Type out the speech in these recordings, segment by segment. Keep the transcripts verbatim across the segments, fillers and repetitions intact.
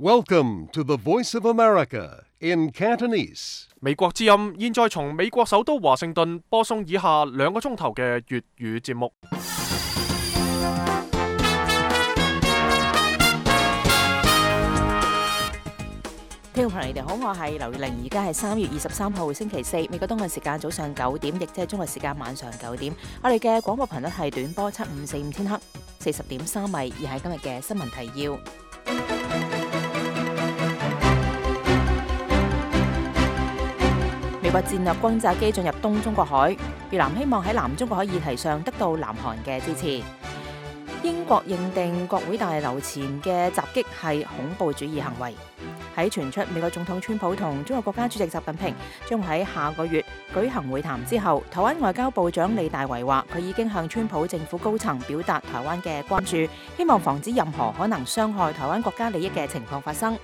Welcome to the Voice of America in Cantonese. 美國之音現在從美國首都華盛頓播送以下兩個鐘頭嘅粵語節目。聽眾朋友，你哋好，我係劉月玲，而家係三月二十三號星期四，美國東岸時間早上九點，亦即係中國時間晚上九點。我哋嘅廣播頻率係短波七五四五千赫，四十點三米，而係今日嘅新聞提要。美國戰略轟炸機進入東中國海，越南希望喺南中國海議題上得到南韓嘅支持。英國認定國會大樓前嘅襲擊係恐怖主義行為。喺傳出美國總統川普同中國國家主席習近平將喺下個月舉行會談之後，台灣外交部長李大維話佢已經向川普政府高層表達台灣嘅關注，希望防止任何可能傷害台灣國家利益嘅情況發生。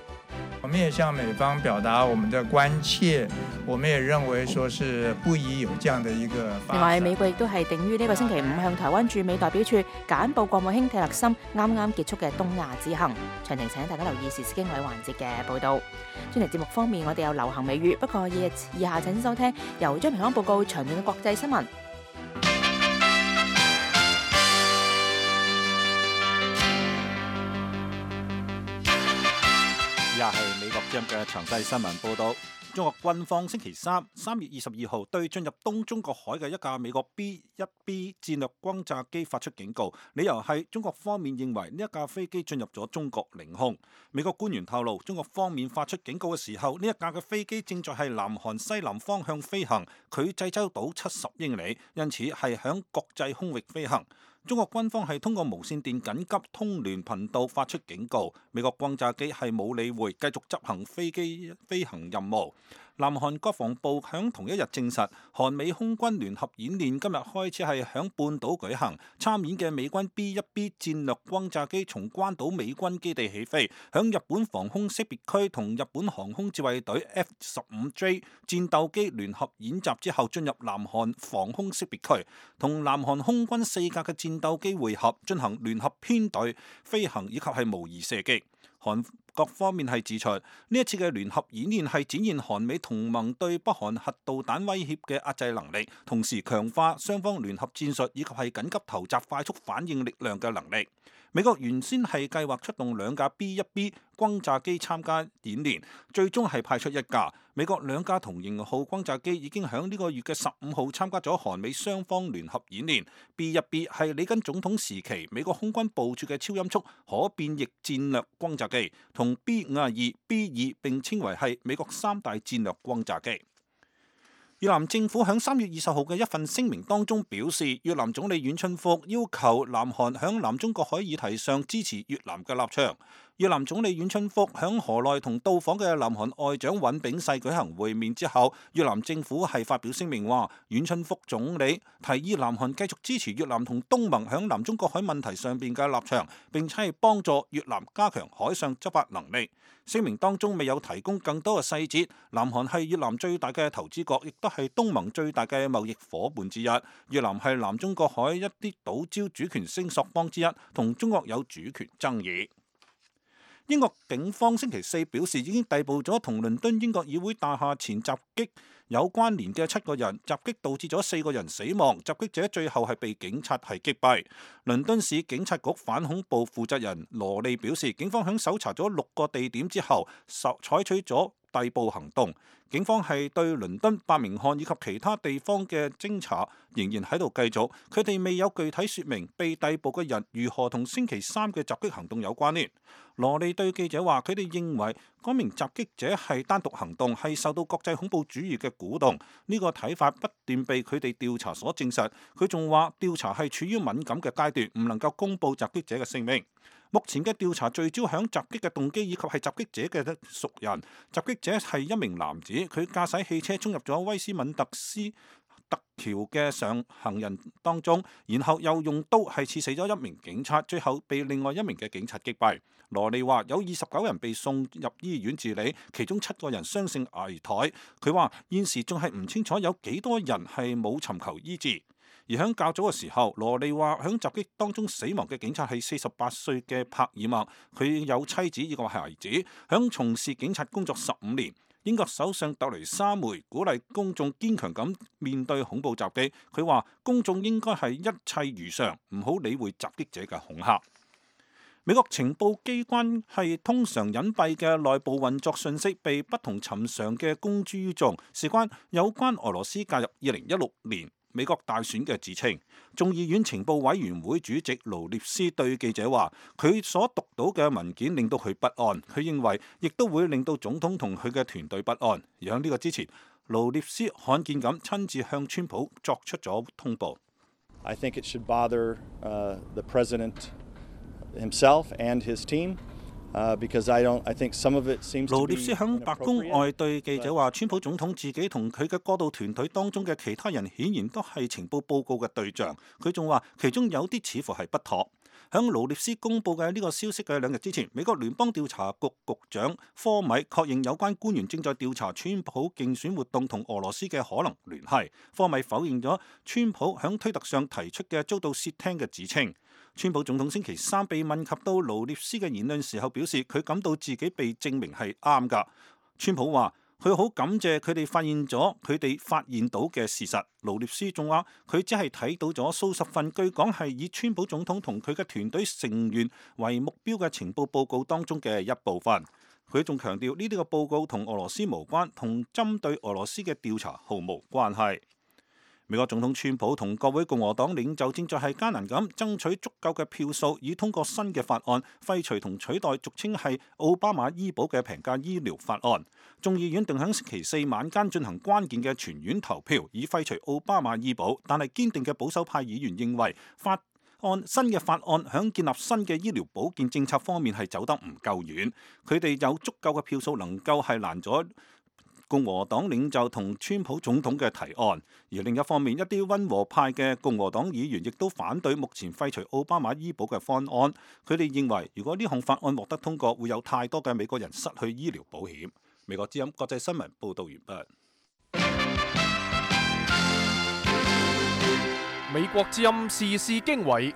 我們也向美方表達我們的關切，我們也認為說是不宜有這樣的一個發展。另外，美國亦都係定於呢個星期五向台灣駐美代表處簡報國務卿蒂勒森啱啱結束嘅東亞之行。詳情請大家留意時事經緯環節嘅報導。專題節目方面，我哋有流行美語，不過以以下請收聽由張平安報告長遠嘅國際新聞。以下係美國之音嘅詳細新聞報導。中國軍方星期三三月二十二號對進入東中國海嘅一架美國 B 一 B 戰略轟炸機發出警告，理由係中國方面認為呢一架飛機進入咗中國領空。美國官員透露，中國方面發出警告嘅時候，呢一架嘅飛機正在係南韓西南方向飛行，距濟州島七十英里，因此係響國際空域飛行。中國軍方係通過無線電緊急通聯頻道發出警告，美國轟炸機係冇理會，繼續執行飛機飛行任務。南韓國防部響同一日證實，韓美空軍聯合演練今日開始係響半島舉行，參演嘅美軍 B 一 B 戰略轟炸機從關島美軍基地起飛，響日本防空識別區同日本航空自衛隊 F 十五 J 戰鬥機聯合演習之後，進入南韓防空識別區，同南韓空軍四架嘅戰鬥機會合，進行聯合編隊飛行以及係模擬射擊。韓各方面係指出，呢一次嘅聯合演練係展現韓美同盟對北韓核導彈威脅嘅壓制能力，同時強化雙方聯合戰術以及係緊急投集快速反應力量嘅能力。美國原先係計劃出動兩架 B 一 B 轟炸機參加演練，最終係派出一架。美國兩架同型號轟炸機已經喺呢個月嘅十五號參加咗韓美雙方聯合演練。B 一 B 係里根總統時期美國空軍部署嘅超音速可變翼戰略轟炸機，同 B 五十二、B 二並稱為係美國三大戰略轟炸機。越南政府喺三月二十號嘅一份聲明當中表示，越南總理阮春福要求南韓喺南中國海議題上支持越南嘅立場。越南總理阮春福喺河內同到訪嘅南韓外長尹炳世舉行會面之後，越南政府係發表聲明話，阮春福總理提議南韓繼續支持越南同東盟喺南中國海問題上邊嘅立場，並且係幫助越南加強海上執法能力。聲明當中未有提供更多嘅細節。南韓係越南最大嘅投資國，亦都係東盟最大嘅貿易夥伴之一。越南係南中國海一啲島礁主權聲索方之一，同中國有主權爭議。英國警方星期四表示，已經逮捕咗同倫敦英國議會大廈前襲擊有關聯嘅七個人，襲擊導致咗四個人死亡，襲擊者最後係被警察係擊斃。倫敦市警察局反恐部負責人羅利表示，警方響搜查咗六個地點之後，採取咗逮捕行動。警方係對倫敦、伯明翰以及其他地方嘅偵查仍然喺度繼續，佢哋未有具體說明被逮捕嘅人如何同星期三嘅襲擊行動有關聯。羅利對記者話，佢哋認為嗰名襲擊者係單獨行動，係受到國際恐怖主義嘅鼓動。呢個睇法不斷被佢哋調查所證實。佢仲話調查係處於敏感嘅階段，唔能夠公布襲擊者嘅姓名。目前嘅調查聚焦響襲擊嘅動機以及係襲擊者嘅熟人。襲擊者係一名男子，佢駕駛汽車衝入咗威斯敏特斯特橋嘅上行人當中，然後又用刀係刺死咗一名警察，最後被另外一名嘅警察擊斃。羅利話有二十九人被送入醫院治理，其中七個人傷性危殆。佢話現時仲係唔清楚有幾多人係冇尋求醫治。而響較早嘅時候，羅利話響襲擊當中死亡嘅警察係四十八歲嘅帕爾默，佢有妻子呢個孩子，響從事警察工作十五年。英國首相特蕾莎梅鼓勵公眾堅強咁面對恐怖襲擊，佢話公眾應該係一切如常，唔好理會襲擊者嘅恐嚇。美國情報機關係通常隱蔽嘅內部運作信息被不同尋常嘅公諸於眾，事關有關俄羅斯介入二零一六年美國大選嘅指稱。眾議院情報委員會主席盧列斯對記者話，佢所讀到嘅文件令到佢不安，佢認為亦都會令到總統同佢嘅團隊不安。而喺呢個之前，盧列斯罕見咁親自向川普作出咗通報。I think it should bother, uh, the president himself and his team, uh, because I don't, I think some of it seems to be inappropriate. 盧列斯響白宮外對記者話，川普總統自己同佢嘅過渡團隊當中嘅其他人顯然都係情報報告嘅對象。佢仲話其中有啲似乎係不妥。響盧列斯公佈嘅呢個消息嘅兩日之前，美國聯邦調查局局長科米確認有關官員正在調查川普競選活動同俄羅斯嘅可能聯繫。科米否認咗川普響推特上提出嘅遭到竊聽嘅指稱。川普總統星期三被問及到盧列斯嘅言論時候，表示佢感到自己被證明係啱㗎。川普話佢好感謝佢哋發現咗佢哋發現到嘅事實。盧列斯仲話佢只係睇到咗數十份據講係以川普總統同佢嘅團隊成員為目標嘅情報報告當中嘅一部分。佢仲強調呢啲嘅報告同俄羅斯無關，同針對俄羅斯嘅調查毫無關係。美國總統川普同各位共和黨領袖正在係艱難咁爭取足夠嘅票數，以通過新嘅法案，廢除同取代俗稱係奧巴馬醫保嘅平價醫療法案。眾議院定喺星期四晚間進行關鍵嘅全院投票，以廢除奧巴馬醫保。但係堅定嘅保守派議員認為法案新嘅法案響建立新嘅醫療保健政策方面係走得唔夠遠，佢哋有足夠嘅票數能夠係攔咗共和黨領袖同川普總統嘅提案。而另一方面，一啲溫和派嘅共和黨議員亦都反對目前廢除奧巴馬醫保嘅方案。佢哋認為，如果呢項法案獲得通過，會有太多嘅美國人失去醫療保險。美國之音國際新聞報道完畢。美國之音時事經緯，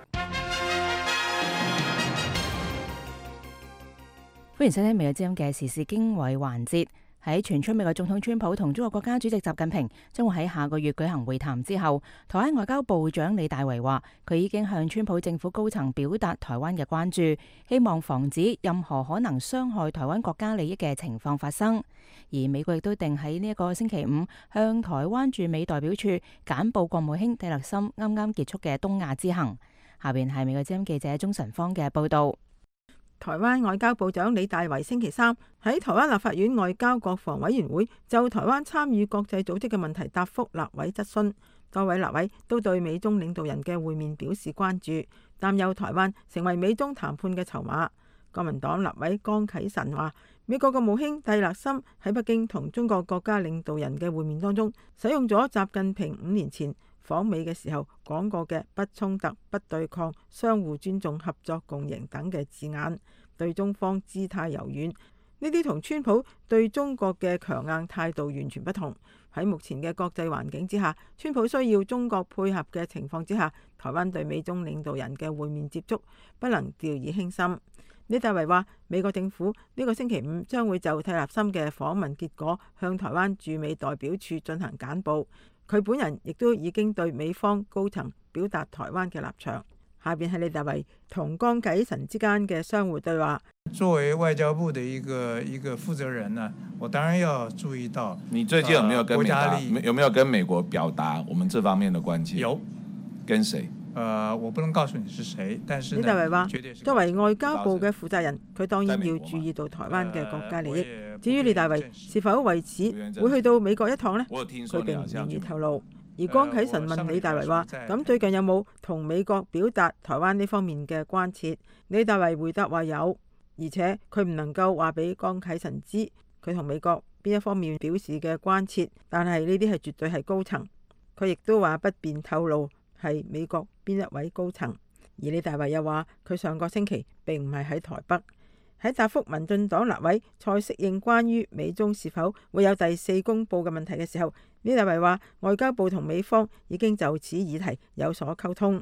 歡迎收聽美國之音嘅時事經緯環節。喺傳出美國總統川普同中國國家主席習近平將會喺下個月舉行會談之後，台灣外交部長李大維話，佢已經向川普政府高層表達台灣嘅關注，希望防止任何可能傷害台灣國家利益嘅情況發生。而美國亦都定喺呢一個星期五向台灣駐美代表處簡報國務卿蒂勒森啱啱結束嘅東亞之行。下邊係美國之音記者鍾晨芳嘅報道。台灣外交部長李大維星期三喺台灣立法院外交國防委員會就台灣參與國際組織嘅問題答覆立委質詢，多位立委都對美中領導人嘅會面表示關注，擔憂台灣成為美中談判嘅籌碼。國民黨立委江啟臣話，美國國務卿蒂勒森喺北京同中國國家領導人嘅會面當中，使用咗習近平五年前訪美嘅時候講過嘅不衝突、不對抗、相互尊重、合作共贏等嘅字眼，對中方姿態柔軟。呢啲同川普對中國嘅強硬態度完全不同。喺目前嘅國際環境之下，川普需要中國配合嘅情況之下，台灣對美中領導人嘅會面接觸不能掉以輕心。李大維話，美國政府呢個星期五將會就蒂勒森嘅訪問結果向台灣駐美代表處進行簡報。佢本人亦都已經對美方高層表達台灣嘅立場。下邊係李大維同江啟臣之間嘅相互對話。作為外交部的一個一個負責人呢，我當然要注意到。你最近有沒有跟美國、呃、有沒有跟美國表達我們這方面的關切？有。跟誰？呃，我不能告訴你是誰，但是呢，李大維話，作為外交部嘅負責人，佢當然要在美國注意到台灣嘅國家利益。呃、至於李大維是否為此會去到美國一趟呢？佢並唔願意透露。而江啟臣問李大維話：咁最近有冇同美國表達台灣呢方面嘅關切？李大維回答話有，而且佢唔能夠話俾江啟臣知佢同美國邊一方面表示嘅關切，但係呢啲係絕對係高層。佢亦都話不便透露係美國邊一位高層。而李大維又話佢上個星期並唔係喺台北。喺答覆民進黨立委蔡適應關於美中是否會有第四公報嘅問題嘅時候，李大為話，外交部同美方已經就此議題有所溝通。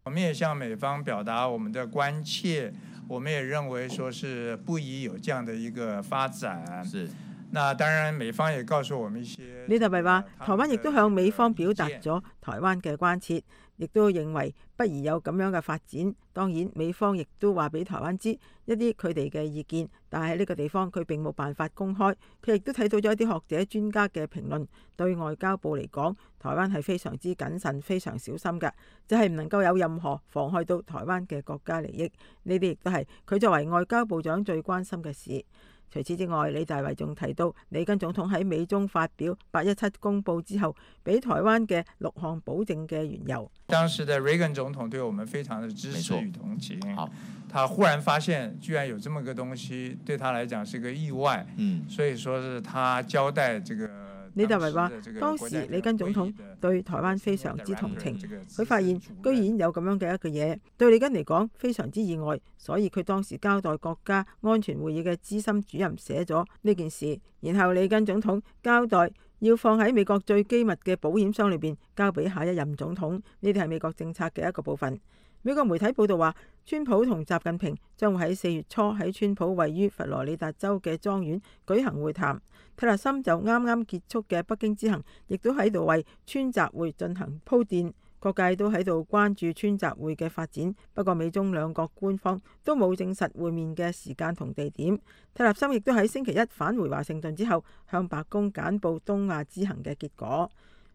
我們也向美方表達我們的關切，我們也認為說是不宜有這樣的一個發展。是。那當然，美方也告訴我們一些。李大為話，台灣亦都向美方表達咗台灣嘅關切，亦都認為不宜有咁樣嘅發展。當然，美方亦都話俾台灣知一啲佢哋嘅意見，但係喺呢個地方佢並冇辦法公開。佢亦都睇到咗一啲學者專家嘅評論，對外交部嚟講，台灣係非常之謹慎、非常小心嘅，就係唔能夠有任何妨害到台灣嘅國家利益。呢啲亦都係佢作為外交部長最關心嘅事。除此之外，李大為仲提到，里根總統喺美中發表八一七公報之後，俾台灣嘅六項保證嘅緣由。當時的雷根總統對我們非常的支持與同情。好，他忽然發現居然有這麼個東西，對他來講是個意外。嗯，所以說是他交代這個。李大為話：當時里根總統對台灣非常之同情，佢發現居然有咁樣嘅一個嘢，對里根嚟講非常之意外，所以佢當時交代國家安全會議嘅資深主任寫咗呢件事，然後里根總統交代要放喺美國最機密嘅保險箱裏邊，交俾下一任總統。呢啲係美國政策嘅一個部分。美國媒體報道話，川普同習近平將會喺四月初喺川普位於佛羅里達州嘅莊園舉行會談。蒂勒森就啱啱結束嘅北京之行，亦都喺度為川習會進行鋪墊。各界都喺度關注川習會嘅發展，不過美中兩國官方都冇證實會面嘅時間同地點。蒂勒森亦都喺星期一返回華盛頓之後，向白宮簡報東亞之行嘅結果。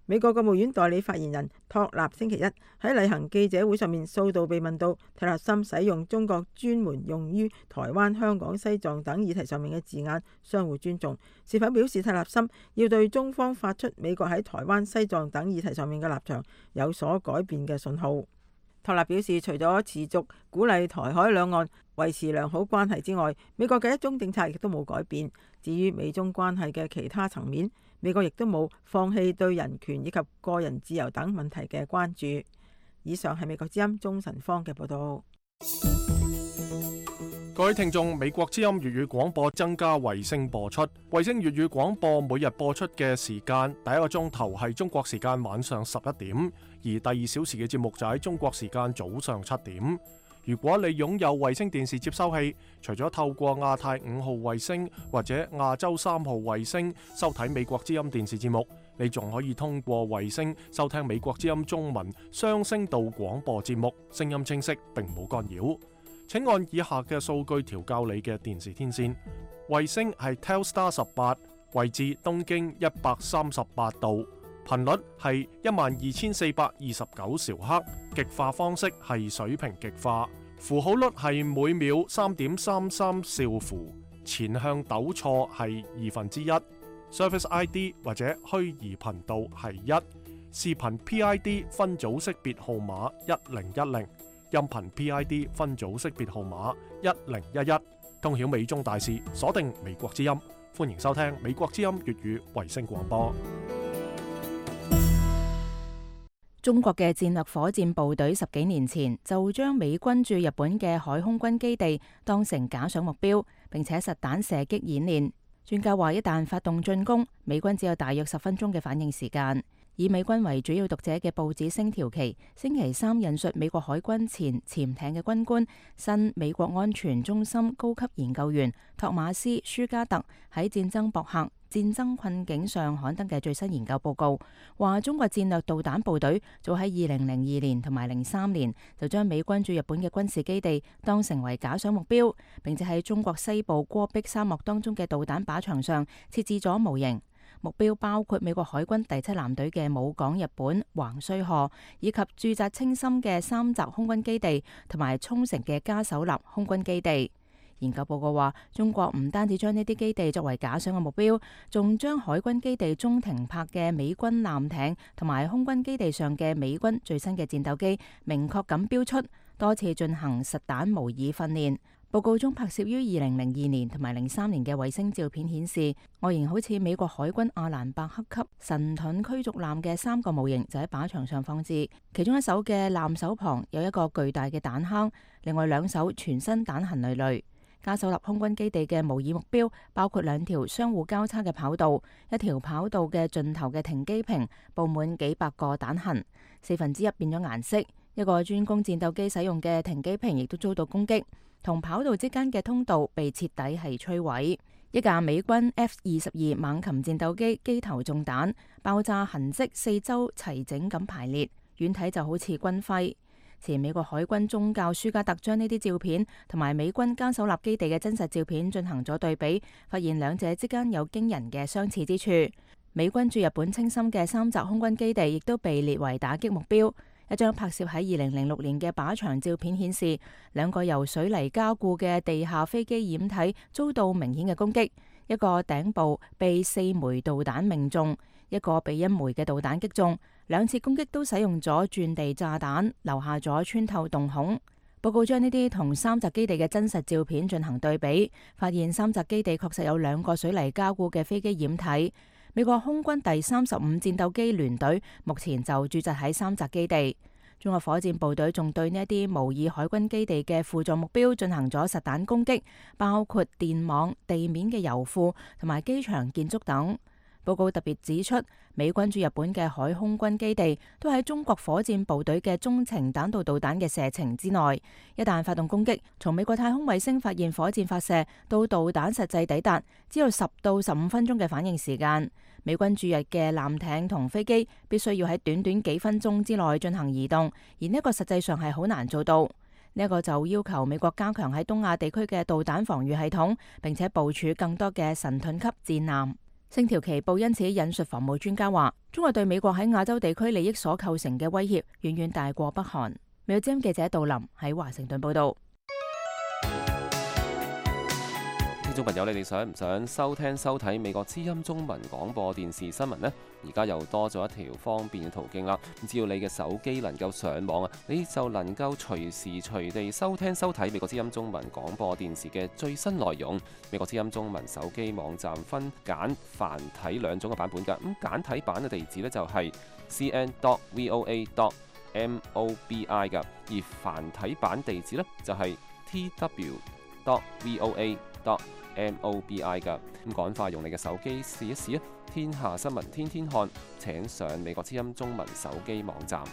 美國國務院代理發言人托納星期一喺例行記者會上面數度被問到蒂勒森使用中國專門用於台灣、香港、西藏等議題上面嘅字眼相互尊重，是否表示蒂勒森要對中方發出美國喺台灣、西藏等議題上面嘅立場有所改變嘅信號。托納表示，除咗持續鼓勵台海兩岸維持良好關係之外，美國嘅一中政策亦都冇改變。至於美中關係嘅其他層面，美國亦都冇放棄對人權以及個人自由等問題嘅關注。以上係美國之音鐘晨芳嘅報道。各位聽眾，美國之音粵語廣播增加衛星播出，衛星粵語廣播每日播出嘅時間，第一個鐘頭係中國時間晚上十一點，而第二小時嘅節目就喺中國時間早上七點。如果你擁有衛星電視接收器，除咗透過亞太五號衛星或者亞洲三號衛星收睇美國之音電視節目，你仲可以通過衛星收聽美國之音中文雙聲道廣播節目，聲音清晰並冇干擾。請按以下嘅數據調校你嘅電視天線。衛星係 Telstar 十八，位置東經一百三十八度，頻率係一萬二千四百二十九兆赫，極化方式係水平極化，符號率係每秒三點三三兆符，前向抖錯係二分之一，Service I D 或者虛擬頻道係一，視頻 P I D 分組識別號碼一零一零。音頻 P I D 分組識別號碼一零一一，通曉美中大事，鎖定美國之音，歡迎收聽美國之音粵語衛星廣播。中國嘅戰略火箭部隊十幾年前就將美軍駐日本嘅海空軍基地當成假想目標，並且實彈射擊演練。專家話，一旦發動進攻，美軍只有大約十分鐘嘅反應時間。以美軍為主要讀者嘅報紙《星條旗》星期三引述美國海軍前潛艇嘅軍官、新美國安全中心高級研究員托馬斯·舒加特喺戰爭博客《戰爭困境》上刊登嘅最新研究報告，話中國戰略導彈部隊早喺二零零二年同埋零三年就將美軍駐日本嘅軍事基地當成為假想目標，並且喺中國西部戈壁沙漠當中嘅導彈靶場上設置咗模型。目標包括美國海軍第七艦隊嘅武港日本橫須賀，以及駐紮青森嘅三澤空軍基地同埋沖繩嘅加手納空軍基地。研究報告話，中國唔單止將呢啲基地作為假想嘅目標，仲將海軍基地中停泊嘅美軍艦艇同埋空軍基地上嘅美軍最新嘅戰鬥機明確咁標出，多次進行實彈模擬訓練。報告中拍攝於二零零二年同埋零三年嘅衛星照片顯示，外形好似美國海軍阿蘭伯克級神盾驅逐艦嘅三個模型就喺靶場上放置，其中一艘嘅艦首旁有一個巨大嘅彈坑，另外兩艘全身彈痕累累。加索納空軍基地嘅模擬目標包括兩條相互交叉嘅跑道，一條跑道嘅盡頭嘅停機坪佈滿幾百個彈痕，四分之一變咗顏色。一個專供戰鬥機使用嘅停機坪亦都遭到攻擊，同跑道之間嘅通道被徹底係摧毀。一架美軍 F 二十二猛禽戰鬥機機頭中彈，爆炸痕跡四周齊整咁排列，遠睇就好似軍徽。前美國海軍中校舒加特將呢啲照片同埋美軍加索納基地嘅真實照片進行咗對比，發現兩者之間有驚人嘅相似之處。美軍駐日本青森嘅三澤空軍基地亦都被列為打擊目標。一張拍攝喺二零零六年嘅靶場照片顯示，兩個由水泥加固嘅地下飛機掩體遭到明顯嘅攻擊，一個頂部被四枚導彈命中，一個被一枚嘅導彈擊中。兩次攻擊都使用咗鑽地炸彈，留下咗穿透洞孔。報告將呢啲同三澤基地嘅真實照片進行對比，發現三澤基地確實有兩個水泥加固嘅飛機掩體。美國空軍第三十五戰鬥機聯隊目前就駐紮喺三澤基地。中國火箭部隊仲對呢一啲模擬海軍基地嘅輔助目標進行咗實彈攻擊，包括電網、地面嘅油庫同埋機場建築等。報告特別指出，美軍駐日本嘅海空軍基地都喺中國火箭部隊嘅中程彈道導彈嘅射程之內。一旦發動攻擊，從美國太空衛星發現火箭發射到導彈實際抵達，只有十到十五分鐘嘅反應時間。美軍駐日嘅艦艇同飛機必須要喺短短幾分鐘之內進行移動，而呢個實際上係好難做到。呢一個就要求美國加強喺東亞地區嘅導彈防禦系統，並且部署更多嘅神盾級戰艦。星條旗報因此引述防務專家話，中國對美國喺亞洲地區利益所構成嘅威脅遠遠大過北韓。美國之音記者杜林喺華盛頓報道。聽眾朋友，你哋想唔想收聽收睇美國之音中文廣播電視新聞呢？而家又多咗一條方便嘅途徑啦。只要你嘅手機能夠上網啊，你就能夠隨時隨地收聽收睇美國之音中文廣播電視嘅最新內容。美國之音中文手機網站分簡繁體兩種嘅版本㗎。咁簡體版嘅地址呢，就係 c n dot voa dot mobi 㗎，而繁體版地址呢，就係 t w dot voa dot mobi 㗎。咁趕快用你嘅手機試一試啊！天下新聞天天看，請上美國之音中文手機網站。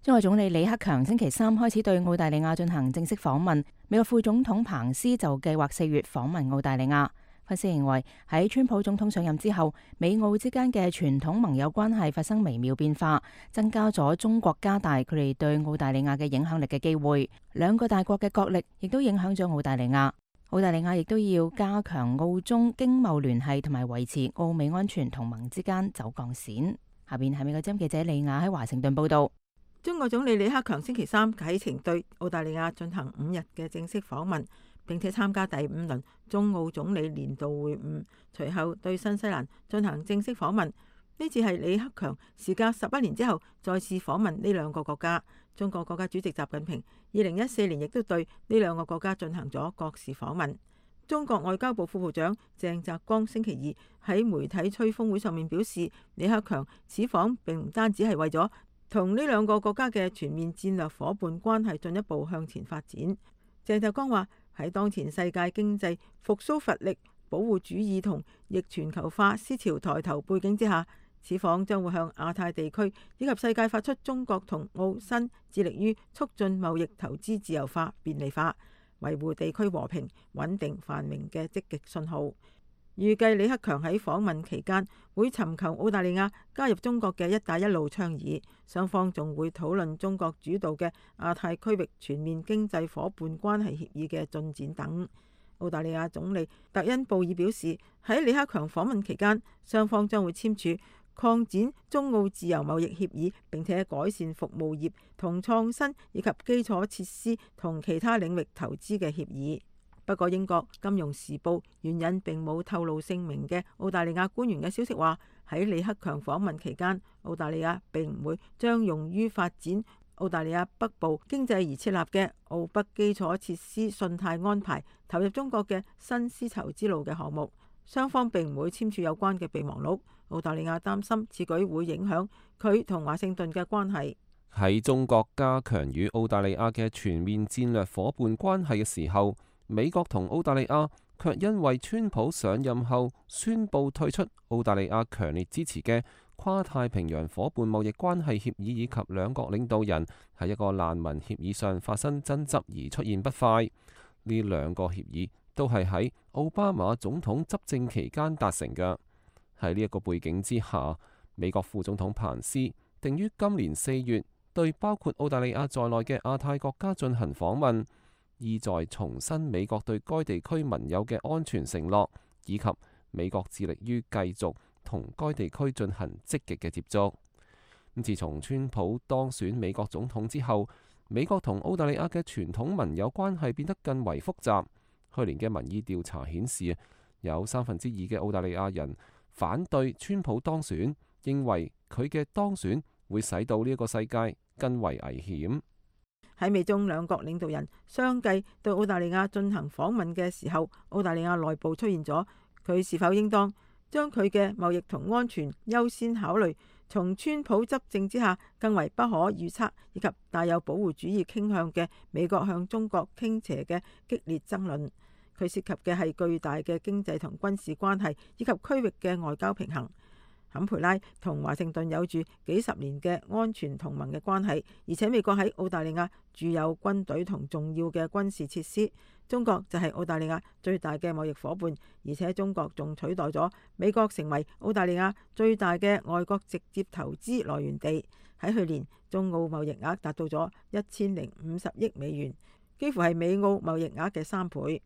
中國總理李克強星期三開始對澳大利亞進行正式訪問，美國副總統彭斯就計劃四月訪問澳大利亞。分析認為，喺川普總統上任之後，美澳之間嘅傳統盟友關係發生微妙變化，增加咗中國加大佢哋對澳大利亞嘅影響力嘅機會。兩個大國嘅角力亦都影響咗澳大利亞。澳大利亞亦都要加強澳中經貿聯繫，同埋維持澳美安全同盟之間走鋼線。下邊係美國之音記者李雅喺華盛頓報道。中國總理李克強星期三啟程對澳大利亞進行五日嘅正式訪問，並且參加第五輪中澳總理年度會晤，隨後對新西蘭進行正式訪問。呢次係李克強時隔十一年之後再次訪問呢兩個國家。中國國家主席習近平二零一四年亦都對呢兩個國家進行咗國事訪問。中國外交部副部長鄭澤光星期二喺媒體吹風會上面表示，李克強此訪並唔單止係為咗同呢兩個國家嘅全面戰略夥伴關係進一步向前發展。鄭澤光話，喺當前世界經濟復甦乏力、保護主義同逆全球化思潮抬頭背景之下，此訪將會向亞太地區以及世界發出中國同澳新致力於促進貿易投資自由化、便利化、維護地區和平穩定繁榮嘅積極信號。預計李克強喺訪問期間會尋求澳大利亞加入中國嘅一帶一路倡議，雙方仲會討論中國主導嘅亞太區域全面經濟夥伴關係協議嘅進展等。澳大利亞總理特恩布爾表示，喺李克強訪問期間，雙方將會簽署擴展中澳自由貿易協議，並且改善服務業同創新以及基礎設施同其他領域投資嘅協議。不過，英國金融時報援引並冇透露姓名嘅澳大利亞官員嘅消息話，喺李克強訪問期間，澳大利亞並唔會將用於發展澳大利亞北部經濟而設立嘅澳北基礎設施信貸安排投入中國嘅新絲綢之路嘅項目。雙方並唔會簽署有關嘅備忘錄。澳大利亞擔心此舉會影響佢同華盛頓嘅關係。喺中國加強與澳大利亞嘅全面戰略夥伴關係嘅時候，美國同澳大利亞卻因為川普上任後宣布退出澳大利亞強烈支持嘅跨太平洋夥伴貿易關係協議，以及兩國領導人喺一個難民協議上發生爭執而出現不快。呢兩個協議都係喺奧巴馬總統執政期間達成嘅。喺呢一個背景之下，美國副總統彭斯定於今年四月對包括澳大利亞在內嘅亞太國家進行訪問，意在重申美國對該地區盟友嘅安全承諾，以及美國致力於繼續同該地區進行積極嘅接觸。自從川普當選美國總統之後，美國同澳大利亞嘅傳統盟友關係變得更為複雜。去年嘅民意調查顯示，有三分之二嘅澳大利亞人反對川普當選，認為佢嘅當選會使到呢一個世界更為危險。喺美中兩國領導人相繼對澳大利亞進行訪問嘅時候，澳大利亞內部出現咗佢是否應當將佢嘅貿易同安全優先考慮，從川普執政之下更為不可預測以及帶有保護主義傾向嘅美國向中國傾斜嘅激烈爭論。佢涉及嘅係巨大嘅經濟同軍事關係以及區域嘅外交平衡。坎培拉同華盛頓有住幾十年嘅安全同盟嘅關係，而且美國喺澳大利亞駐有軍隊同重要嘅軍事設施。中國就係澳大利亞最大嘅貿易夥伴，而且中國仲取代咗美國成為澳大利亞最大嘅外國直接投資來源地。喺去年，中澳貿易額達到咗一千零五十億美元，幾乎係美澳貿易額嘅三倍。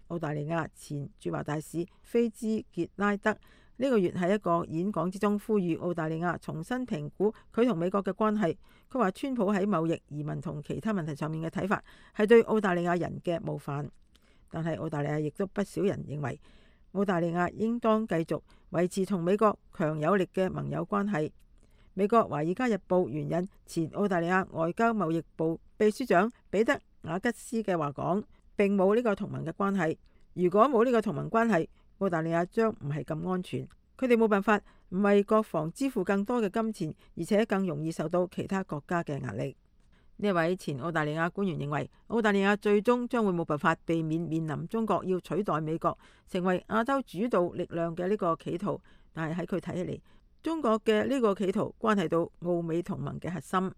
澳大利亞前駐華大使菲茲傑拉德呢個月喺一個演講之中呼籲澳大利亞重新評估佢同美國嘅關係。佢話川普喺貿易、移民同其他問題上面嘅睇法係對澳大利亞人嘅冒犯，但係澳大利亞亦都不少人認為澳大利亞應當繼續維持同美國強有力嘅盟友關係。美國《華爾街日報》援引前澳大利亞外交貿易部秘書長彼得雅吉斯嘅話講，並冇呢個同盟嘅關係。如果冇呢個同盟關係，澳大利亞將唔係咁安全。佢哋冇辦法唔為國防支付更多嘅金錢，而且更容易受到其他國家嘅壓力。呢位前澳大利亞官員認為，澳大利亞最終將會冇辦法避免面臨中國要取代美國成為亞洲主導力量嘅呢個企圖。但係喺佢睇起嚟，中國嘅呢個企圖關係到澳美同盟嘅核心。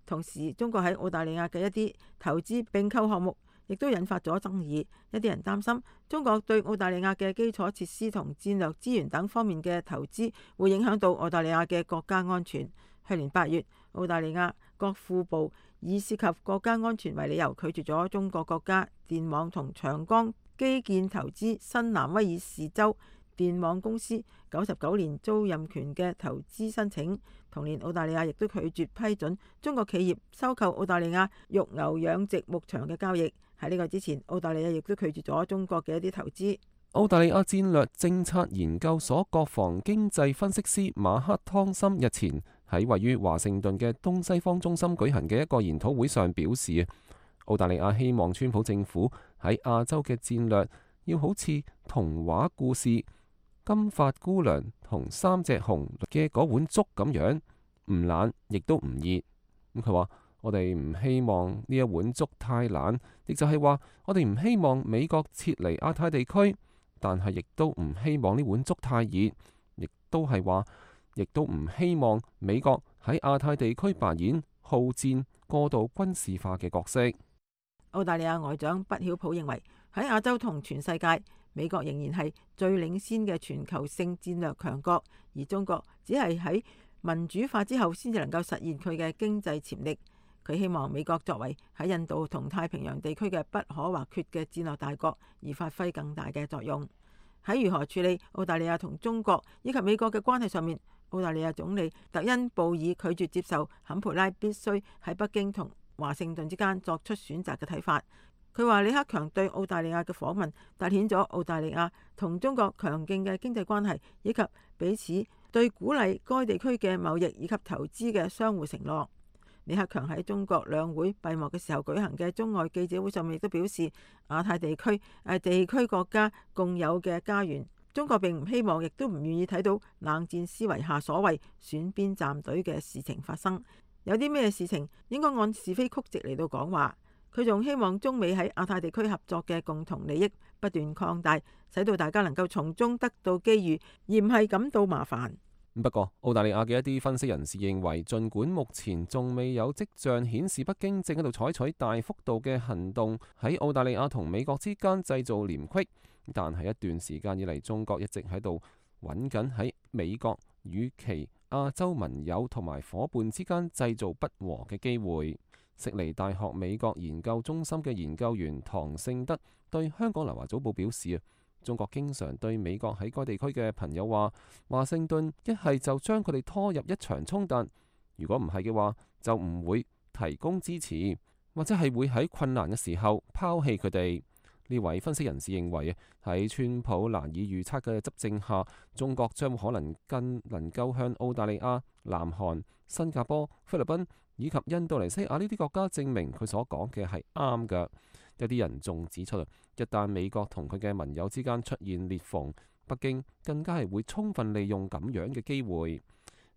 同時，中國喺澳大利亞嘅一啲投資併購項目亦都引發咗爭議。一啲人擔心中國對澳大利亞嘅基礎設施同戰略資源等方面嘅投資會影響到澳大利亞嘅國家安全。去年八月，澳大利亞國庫部以涉及國家安全為理由，拒絕咗中國國家電網同長江基建投資新南威爾士州電網公司九十九年租賃權嘅投資申請。同年，澳大利亞亦都拒絕批准中國企業收購澳大利亞育牛養殖牧場嘅交易。喺呢個之前，澳大利亞亦都拒絕咗中國嘅一啲投資。澳大利亞戰略政策研究所國防經濟分析師馬克湯森日前喺位於華盛頓嘅東西方中心舉行嘅一個研討會上表示，澳大利亞希望川普政府喺亞洲嘅戰略要好似童話故事《金髮姑娘同三隻熊》嘅嗰碗粥咁樣，唔冷亦都唔熱。咁佢話：我哋唔希望呢一碗粥太冷，亦就係話我哋唔希望美國撤離亞太地區，但係亦都唔希望呢碗粥太熱，亦都係話，亦都唔希望美國喺亞太地區扮演好戰、過度軍事化嘅角色。澳大利亞外長畢曉普認為，喺亞洲同全世界，美國仍然係最領先嘅全球性戰略強國，而中國只係喺民主化之後先至能夠實現佢嘅經濟潛力。佢希望美國作為喺印度同太平洋地區嘅不可或缺嘅戰略大國，而發揮更大嘅作用。喺如何處理澳大利亞同中國以及美國嘅關係上面，澳大利亞總理特恩布爾拒絕接受坎培拉必須喺北京同華盛頓之間作出選擇嘅睇法。佢話李克強對澳大利亞嘅訪問凸顯咗澳大利亞同中國強勁嘅經濟關係，以及彼此對鼓勵該地區嘅貿易以及投資嘅相互承諾。李克強喺中國兩會閉幕嘅時候舉行嘅中外記者會上面亦都表示，亞太地區係地區國家共有嘅家園，中國並唔希望亦都唔願意睇到冷戰思維下所謂選邊站隊嘅事情發生。有啲咩事情應該按是非曲直嚟到講話。佢仲希望中美喺亞太地區合作嘅共同利益不斷擴大，使到大家能夠從中得到機遇，而唔係感到麻煩。不過，澳大利亞嘅一啲分析人士認為，儘管目前仲未有跡象顯示北京正喺度採取大幅度嘅行動喺澳大利亞同美國之間製造廉隙，但係一段時間以嚟，中國一直喺度揾緊喺美國與其亞洲盟友同埋夥伴之間製造不和嘅機會。悉尼大學美國研究中心嘅研究員唐勝德對香港南華早報表示啊，中國經常對美國喺該地區嘅朋友話，華盛頓一係就將佢哋拖入一場衝突，如果唔係嘅話，就唔會提供支持，或者係會喺困難嘅時候拋棄佢哋。呢位分析人士認為，喺川普難以預測嘅執政下，中國將可能更能夠向澳大利亞、南韓、新加坡、菲律賓以及印度尼西亞呢啲國家證明佢所講嘅係啱嘅。有啲人仲指出，一旦美國同佢嘅盟友之間出現裂縫，北京更加係會充分利用咁樣嘅機會。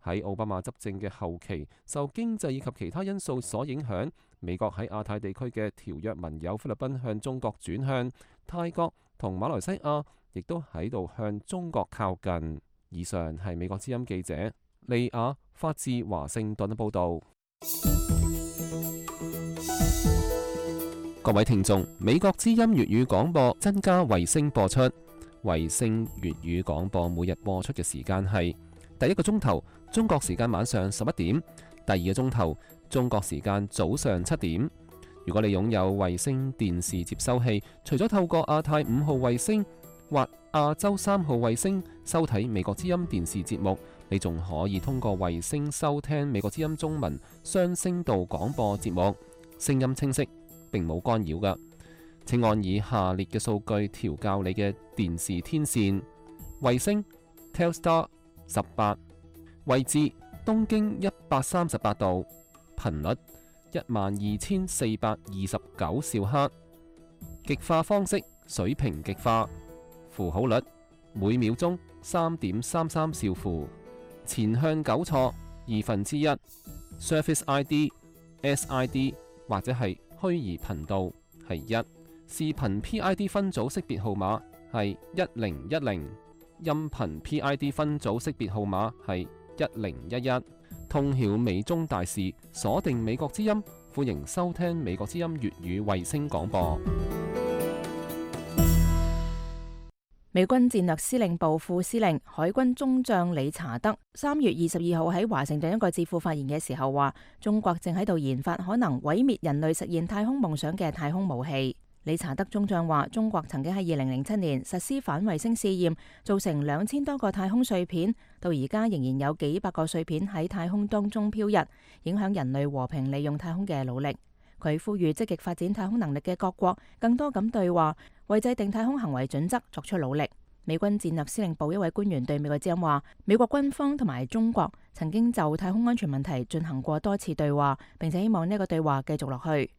喺奧巴馬執政嘅後期，受經濟以及其他因素所影響，美國喺亞太地區嘅條約盟友菲律賓向中國轉向，泰國同馬來西亞亦都喺度向中國靠近。以上係美國之音記者利亞發自華盛頓嘅報導。各位聽眾，美國之音粵語廣播增加衛星播出，衛星粵語廣播每日播出嘅時間係第一個鐘頭中國時間晚上十一點，第二個鐘頭中國時間早上七點。如果你擁有衛星電視接收器，除咗透過亞太五號衛星或亞洲三號衛星收睇美國之音電視節目，你仲可以通過衛星收聽美國之音中文雙聲道廣播節目，聲音清晰，並冇干擾㗎。請按以下列嘅數據調校你嘅電視天線：衛星 Telstar 十八，位置東經一百三十八度，頻率一萬二千四百二十九兆赫，極化方式水平極化，符號率每秒鐘三點三三兆符，前向糾錯二分之一 ，Surface I D、S I D 或者係虛擬頻道係一，視頻 P I D 分組識別號碼係一零一零，音頻 P I D 分組識別號碼係一零一一。通曉美中大事，鎖定美國之音，歡迎收聽美國之音粵語衛星廣播。美軍戰略司令部副司令海軍中將理查德三月二十二號喺華盛頓一個智庫發言嘅時候話，中國正喺度研發可能毀滅人類實現太空夢想嘅太空武器。理查德中將話，中國曾經喺二零零七年實施反衛星試驗，造成兩千多個太空碎片，到而家仍然有幾百個碎片喺太空當中飄逸，影響人類和平利用太空嘅努力。佢呼籲積極發展太空能力嘅各國更多咁對話，為制定太空行為準則作出努力。美軍戰略司令部一位官員對美國之音話，美國軍方同埋中國曾經就太空安全問題進行過多次對話，並且希望呢個對話繼續落去。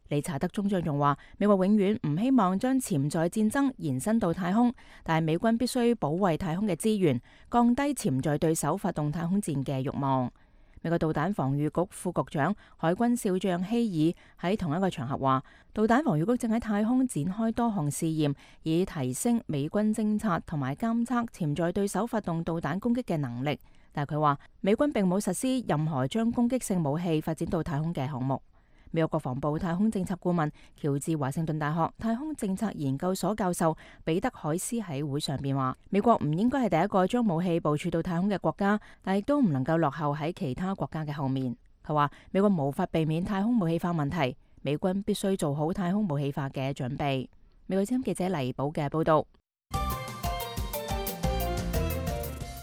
理查德中將仲話，美國永遠唔希望將潛在戰爭延伸到太空，但係美軍必須保衛太空嘅資源，降低潛在對手發動太空戰嘅慾望。美國導彈防禦局副局長海軍少將希爾喺同一個場合話，導彈防禦局正喺太空展開多項試驗，以提升美軍偵察同埋監測潛在對手發動導彈攻擊嘅能力。但係佢話，美軍並冇實施任何將攻擊性武器發展到太空嘅項目。美國國防部太空政策顧問、喬治華盛頓大學太空政策研究所教授彼得海斯喺會上邊話，美國唔應該係第一個將武器部署到太空嘅國家，但亦都唔能夠落後喺其他國家嘅後面。佢話，美國無法避免太空武器化問題，美軍必須做好太空武器化嘅準備。美國之音記者黎寶嘅報道。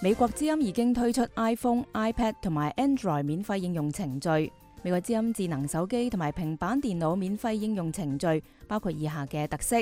美國之音已經推出 iPhone、iPad 同埋 Android 免費應用程序。美國之音智能手機同埋平板電腦免費應用程序包括以下嘅特色：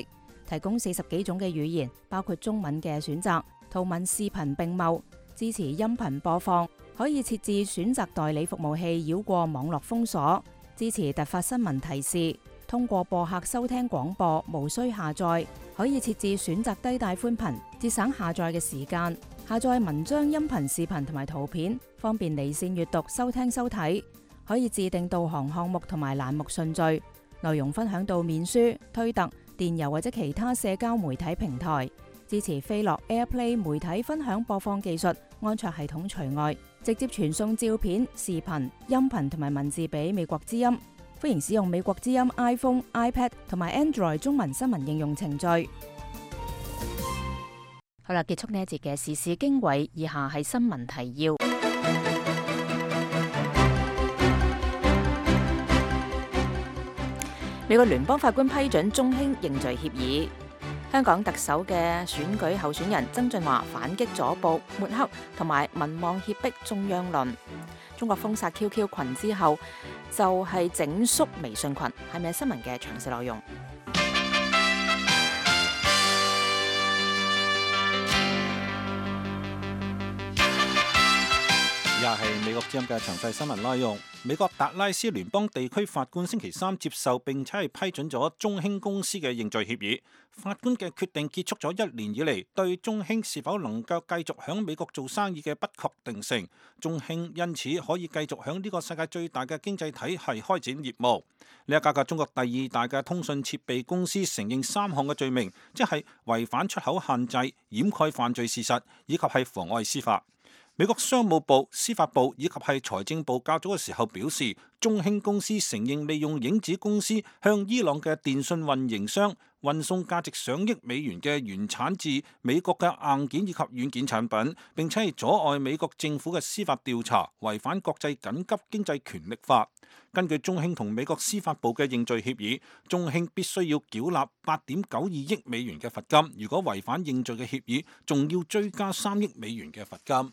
提供四十幾種嘅語言，包括中文嘅選擇，圖文視頻並茂，支持音頻播放，可以設置選擇代理服務器繞過網絡封鎖，支持突發新聞提示，通過播客收聽廣播，無需下載，可以設置選擇低帶寬頻，節省下載嘅時間，下載文章、音頻、視頻同埋圖片，方便離線閱讀、收聽、收睇。可以自定導航項目同埋欄目順序，內容分享到面書、推特、電郵或者其他社交媒體平台。支持飛樂 AirPlay 媒體分享播放技術，安卓系統除外，直接傳送照片、視頻、音頻同埋文字俾美國之音。歡迎使用美國之音 iPhone、iPad 同埋 Android 中文新聞應用程序。好啦，結束呢一節嘅時事經緯，以下係新聞提要。美國聯邦法官批准中興認罪協議。香港特首嘅選舉候選人曾俊華反擊左報抹黑同埋民望脅迫中央論。中國封殺 Q Q 群之後，就係整肅微信群，係咪新聞嘅詳細內容？以下係美國之音嘅詳細新聞內容。美國達拉斯聯邦地區法官星期三接受並且係批准咗中興公司嘅認罪協議。法官嘅決定結束咗一年以嚟對中興是否能夠繼續響美國做生意嘅不確定性。中興因此可以繼續響呢個世界最大嘅經濟體系開展業務。呢一家嘅中國第二大嘅通訊設備公司承認三項嘅罪名，即係違反出口限制、掩蓋犯罪事實以及係妨礙司法。美國商務部、司法部以及係財政部較早嘅時候表示，中興公司承認利用影子公司向伊朗嘅電信運營商運送價值上億美元嘅原產自美國嘅硬件以及軟件產品，並且係阻礙美國政府嘅司法調查，違反國際緊急經濟權力法。根據中興同美國司法部嘅認罪協議，中興必須要繳納八點九二億美元嘅罰金，如果違反認罪嘅協議，仲要追加三億美元嘅罰金。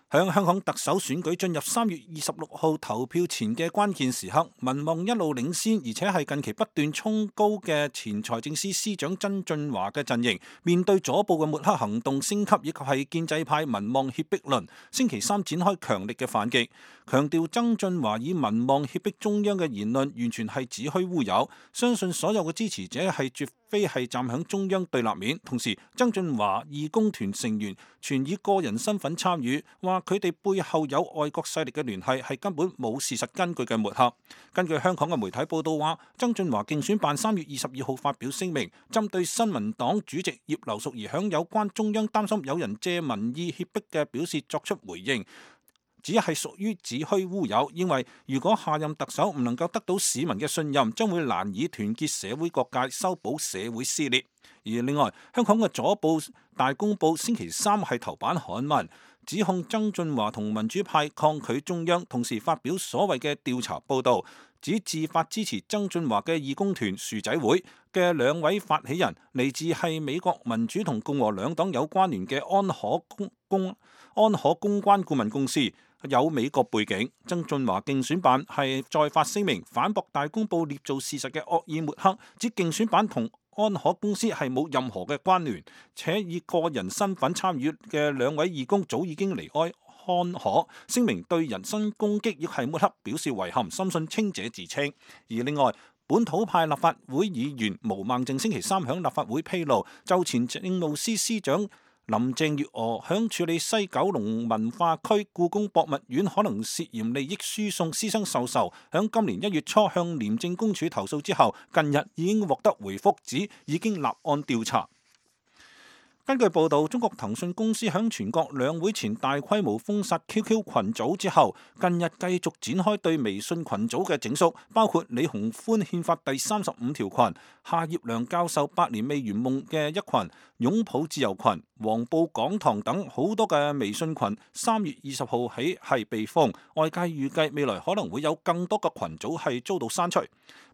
響香港特首選舉進入三月二十六號投票前嘅關鍵時刻，民望一路領先，而且係近期不斷衝高嘅前財政司司長曾俊華嘅陣營，面對左報嘅抹黑行動升級，以及係建制派民望脅迫論，星期三展開強力嘅反擊，強調曾俊華以民望脅迫中央嘅言論完全係子虛烏有，相信所有嘅支持者係絕非係站響中央對立面。同時，曾俊華義工團成員全以個人身份參與，話佢哋背後有外國勢力嘅聯繫，係根本冇事實根據嘅抹黑。根據香港嘅媒體報道話，曾俊華競選辦三月二十二號發表聲明，針對新民黨主席葉劉淑儀響有關中央擔心有人借民意脅迫嘅表示作出回應，只係屬於子虛烏有，認為如果下任特首唔能夠得到市民嘅信任，將會難以團結社會各界，修補社會撕裂。而另外，香港嘅左報大公報星期三係頭版刊文，指控曾俊華同民主派抗拒中央，同時發表所謂嘅調查報導，指自發支持曾俊華嘅義工團薯仔會嘅兩位發起人，嚟自係美國民主同共和兩黨有關聯嘅安可公公安可公關顧問公司，有美國背景。曾俊華競選辦係再發聲明反駁大公報捏造事實嘅惡意抹黑，指競選辦同安可公司係冇任何嘅關聯，且以個人身份參與嘅兩位義工早已經離開安可，聲明對人身攻擊亦係抹黑表示遺憾，深信清者自清。而另外，本土派立法會議員毛孟靜星期三響立法會披露，就前政務司司長林鄭月娥響處理西九龍文化區故宮博物院可能涉嫌利益輸送私生授受，響今年一月初向廉政公署投訴之後，近日已經獲得回覆，指已經立案調查。根據報道，中國騰訊公司響全國兩會前大規模封殺 Q Q 群組之後，近日繼續展開對微信群組嘅整肅，包括李鴻歡憲法第三十五條群、夏業良教授百年未圓夢嘅一群、擁抱自由群、黃埔講堂等好多嘅微信群，三月二十號起係被封，外界預計未來可能會有更多嘅群組係遭到刪除。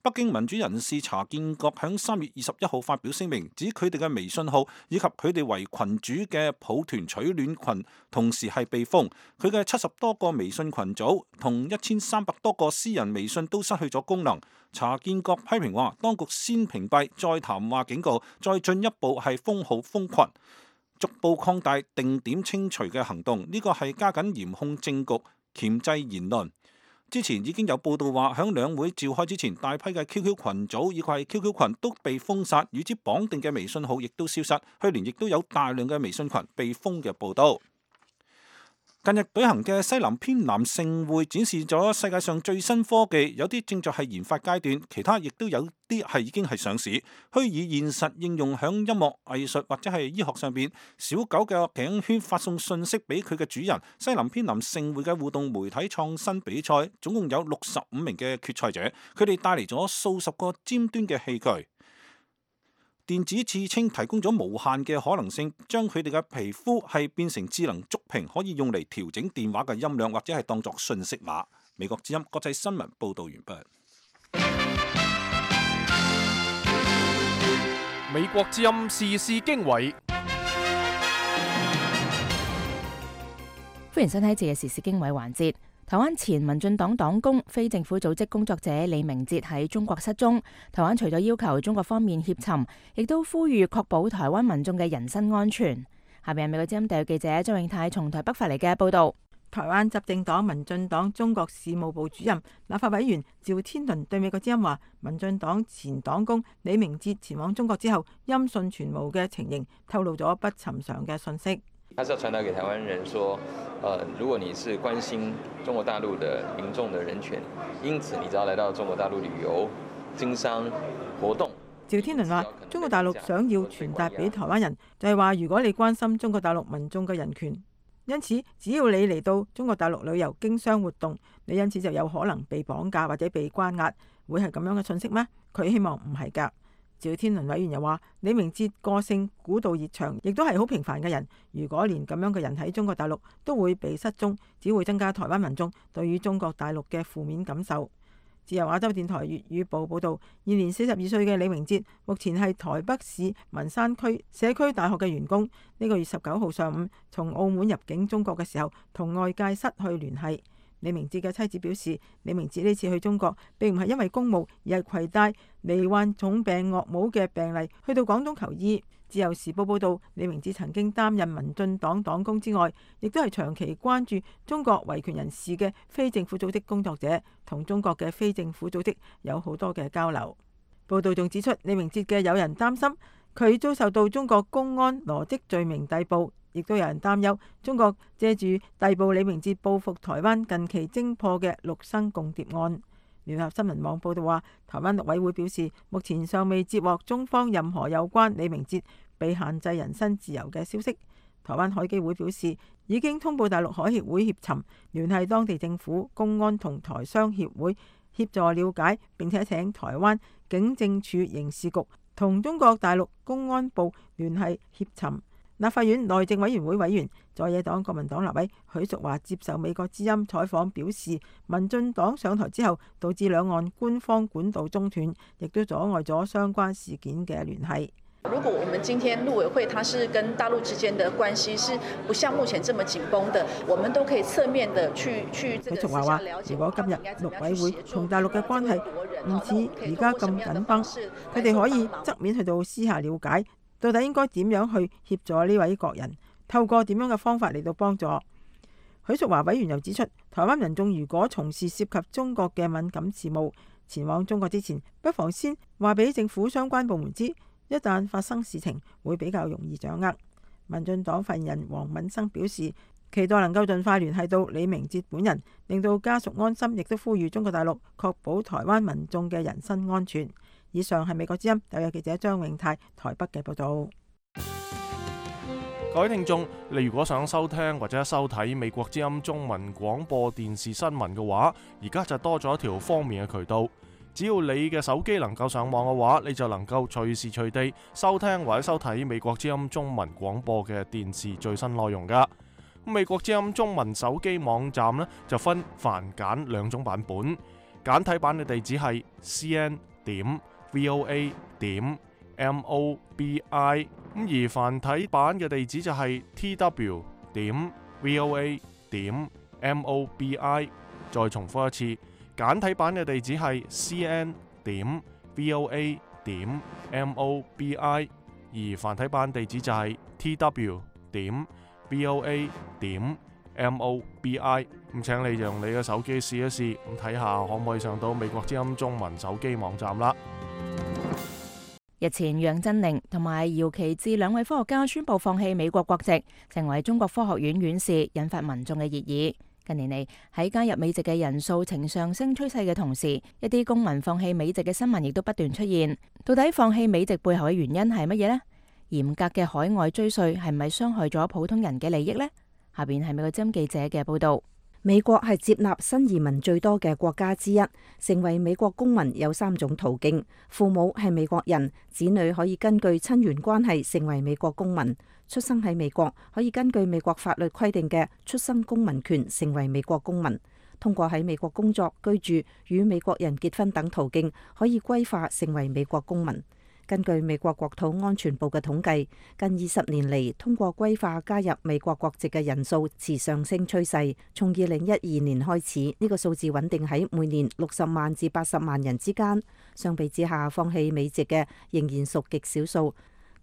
北京民主人士查建國響三月二十一號發表聲明，指佢哋嘅微信號以及佢哋為群主嘅抱團取暖群同時係被封，佢嘅七十多個微信群組同一千三百多個私人微信都失去咗功能。查建國批評話，當局先屏蔽，再談話警告，再進一步係封號封群，逐步擴大定點清除嘅行動，呢個係加緊嚴控政局，鉗制言論。之前已經有報道話，響兩會召開之前，大批嘅 Q Q 群組以及係 Q Q 群都被封殺，與之綁定嘅微信號亦都消失。去年亦都有大量嘅微信群被封嘅報道。近日舉行嘅西南偏南盛會展示咗世界上最新科技，有啲正在係研發階段，其他亦都有啲係已經係上市。虛擬現實應用響音樂、藝術或者係醫學上邊。小狗嘅頸圈發送信息俾佢嘅主人。西南偏南盛會嘅互動媒體創新比賽，總共有六十五名嘅決賽者，佢哋帶嚟咗數十個尖端嘅器具。電子刺青提供咗無限嘅可能性，將佢哋嘅皮膚係變成智能觸屏，可以用嚟調整電話嘅音量，或者係當作訊息碼。美國之音國際新聞報道完畢。美國之音時事經緯，歡迎收睇這嘅時事經緯環節。台灣前民進黨黨工、非政府組織工作者李明哲喺中國失蹤。台灣除咗要求中國方面協尋，亦都呼籲確保台灣民眾嘅人身安全。下邊係美國之音特約記者張永泰從台北發嚟嘅報道。台灣執政黨民進黨中國事務部主任、立法委員趙天麟對美國之音話，民進黨前黨工李明哲前往中國之後，音訊全無嘅情形，透露咗不尋常嘅訊息。他是要傳達給台灣人說，呃，如果你是關心中國大陸的民眾的人權，因此你只要來到中國大陸旅遊、經商、活動。趙天麟話，中國大陸想要傳達俾台灣人，就係話如果你關心中國大陸民眾嘅人權，因此只要你嚟到中國大陸旅遊、經商活動，你因此就有可能被綁架或者被關押，會係咁樣嘅訊息咩？佢希望唔係㗎。趙天麟委員又話，李明哲個性古道熱腸，亦都係好平凡嘅人。如果連咁樣嘅人喺中國大陸都會被失蹤，只會增加台灣民眾對於中國大陸嘅負面感受。自由亞洲電台粵語部報道，現年四十二歲嘅李明哲目前係台北市文山區社區大學嘅員工。呢個月十九號上午從澳門入境中國嘅時候，同外界失去聯繫。李明哲嘅妻子表示，李明哲呢次去中國並唔係因為公務，而係攜帶罹患重病岳母嘅病例去到廣東求醫。自由時報報道，李明哲曾經擔任民進黨黨工之外，亦都係長期關注中國維權人士嘅非政府組織工作者，同中國嘅非政府組織有好多嘅交流。報道仲指出，李明哲嘅友人擔心佢遭受到中國公安羅織罪名逮捕。亦都有人擔憂中國借住逮捕李明哲報復台灣近期偵破嘅陸生共諜案。聯合新聞網報道話，台灣陸委會表示，目前尚未接獲中方任何有關李明哲被限制人身自由嘅消息。台灣海基會表示，已經通報大陸海協會協尋，聯繫當地政府、公安同台商協會協助了解，並且請台灣警政處刑事局同中國大陸公安部聯繫協尋。立法院內政委員會委員在野黨國民黨立委許淑華接受美國之音採訪表示，民進黨上台之後導致兩岸官方管道中斷，亦都阻礙咗相關事件嘅聯繫。如果我們今天陸委會它是跟大陸之間的關係是不像目前這麼緊繃的，我們都可以側面的去去這個私下了解。如果今日陸委會同大陸嘅關係唔似而家咁緊繃，佢哋可以側面去到私下了解。到底應該點樣去協助呢位國人？透過點樣嘅方法嚟到幫助？許淑華委員又指出，台灣民眾如果從事涉及中國嘅敏感事務，前往中國之前，不妨先話俾政府相關部門知，一旦發生事情，會比較容易掌握。民進黨發言人黃敏生表示，期待能夠盡快聯繫到李明哲本人，令到家屬安心，亦都呼籲中國大陸確保台灣民眾嘅人身安全。以上係美國之音特約記者張永泰台北嘅報道。各位聽眾，你如果想收聽或者收睇美國之音中文廣播電視新聞嘅話，而家就多咗一條方便嘅渠道。只要你嘅手機能夠上網嘅話，你就能夠隨時隨地收聽或者收睇美國之音中文廣播嘅電視最新內容噶。美國之音中文手機網站呢，就分繁簡兩種版本，簡體版嘅地址係 c n 點 v o a 點 m o b i， 咁而繁體版嘅地址就係 t w 點 v o a 點 m o b i。再重複一次，簡體版嘅地址係 c n 點 v o a 點 m o b i， 而繁體版地址就係 t w 點 v o a 點 m o b i。咁請你用你嘅手機試一試，咁睇下可唔可以上到美國之音中文手機網站啦。日前，楊振寧同埋姚其智兩位科學家宣布放棄美國國籍，成為中國科學院院士，引發民眾嘅熱議。近年嚟，喺加入美籍嘅人數呈上升趨勢嘅同時，一啲公民放棄美籍嘅新聞亦都不斷出現。到底放棄美籍背後嘅原因係乜嘢呢？嚴格嘅海外追稅係咪傷害咗普通人嘅利益呢？下邊係美國之音記者嘅報道。美國係接納新移民最多嘅國家之一，成為美國公民有三種途徑：父母係美國人，子女可以根據親緣關係成為美國公民；出生喺美國可以根據美國法律規定嘅出生公民權成為美國公民；通過喺美國工作、居住、與美國人結婚等途徑可以歸化成為美國公民。根據美國國土安全部嘅統計，近二十年嚟，通過歸化加入美國國籍嘅人數持上升趨勢。從二零一二年開始，呢個數字穩定喺每年六十萬至八十萬人之間。相比之下，放棄美籍嘅仍然屬極少數。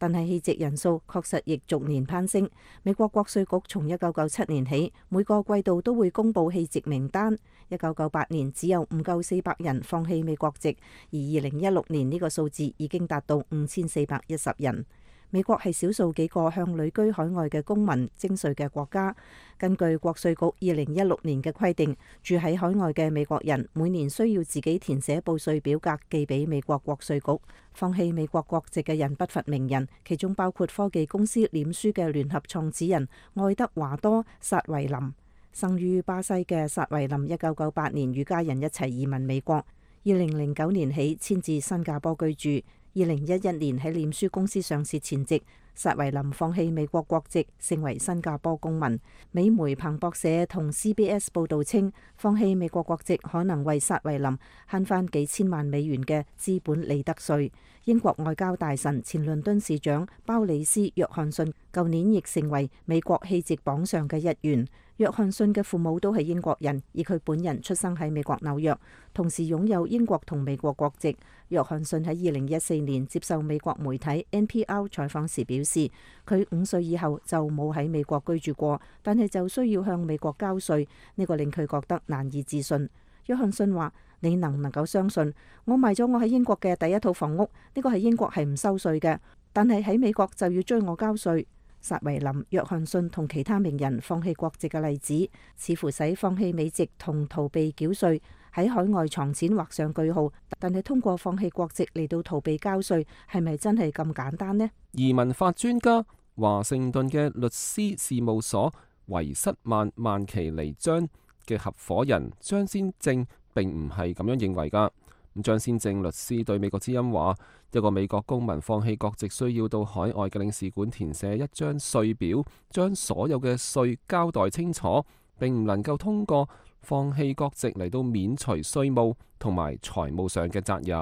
但係棄籍人數確實亦逐年攀升。美國國稅局從一九九七年起，每個季度都會公布棄籍名單。一九九八年只有唔夠四百人放棄美國籍，而二零一六年呢個數字已經達到五千四百一十人。美國係少數幾個向旅居海外嘅公民徵稅嘅國家。根據國稅局二零一六年嘅規定，住喺海外嘅美國人每年需要自己填寫報稅表格寄俾美國國稅局。放棄美國國籍嘅人不乏名人，其中包括科技公司臉書嘅聯合創始人愛德華多·薩維林。生於巴西嘅薩維林，一九九八年與家人一齊移民美國，二零零九年起遷至新加坡居住。二零一一年喺臉書公司上市前夕，薩維林放棄美國國籍，成為新加坡公民。美媒彭博社同 C B S 報道稱，放棄美國國籍可能為薩維林慳翻幾千萬美元嘅資本利得稅。英國外交大臣、前倫敦市長鮑里斯·約翰遜舊年亦成為美國棄籍榜上嘅一員。約翰遜嘅父母都係英國人，而佢本人出生喺美國紐約，同時擁有英國同美國國籍。約翰遜喺二零一四年接受美國媒體 N P R 採訪時表示，佢五歲以後就冇喺美國居住過，但係就需要向美國交稅，呢個令佢覺得難以置信。約翰遜話：你能唔能夠相信，我賣咗我喺英國嘅第一套房屋，呢個喺英國係唔收稅嘅，但係喺美國就要追我交稅。薩維林、約翰遜同其他名人放棄國籍嘅例子，似乎使放棄美籍同逃避繳稅喺海外藏錢畫上句號。但係通過放棄國籍嚟到逃避交稅，係咪真係咁簡單呢？移民法專家、華盛頓嘅律師事務所維瑟曼曼奇尼張嘅合夥人張先正並唔係咁樣認為㗎。咁張先正律師對美國之音話：一個美國公民放棄國籍，需要到海外嘅領事館填寫一張稅表，將所有嘅稅交代清楚，並唔能夠通過放棄國籍嚟到免除稅務同埋財務上嘅責任。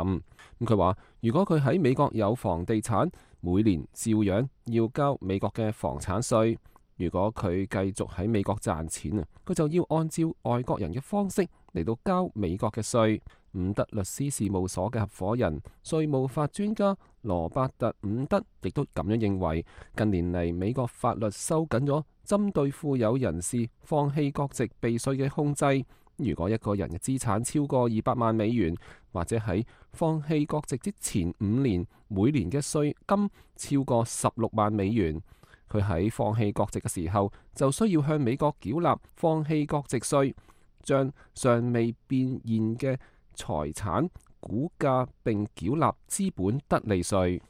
咁佢話：如果佢喺美國有房地產，每年照樣要交美國嘅房產稅；如果佢繼續喺美國賺錢啊，佢就要按照外國人嘅方式嚟到交美國嘅稅。伍德律師事務所嘅合夥人、稅務法專家羅伯特·伍德亦都咁樣認為。近年嚟，美國法律收緊咗針對富有人士放棄國籍避稅嘅控制。如果一個人嘅資產超過二百萬美元，或者喺放棄國籍之前五年每年嘅稅金超過十六萬美元，佢喺放棄國籍嘅時候就需要向美國繳納放棄國籍稅，將尚未變現嘅財產估價並繳納資本得利稅。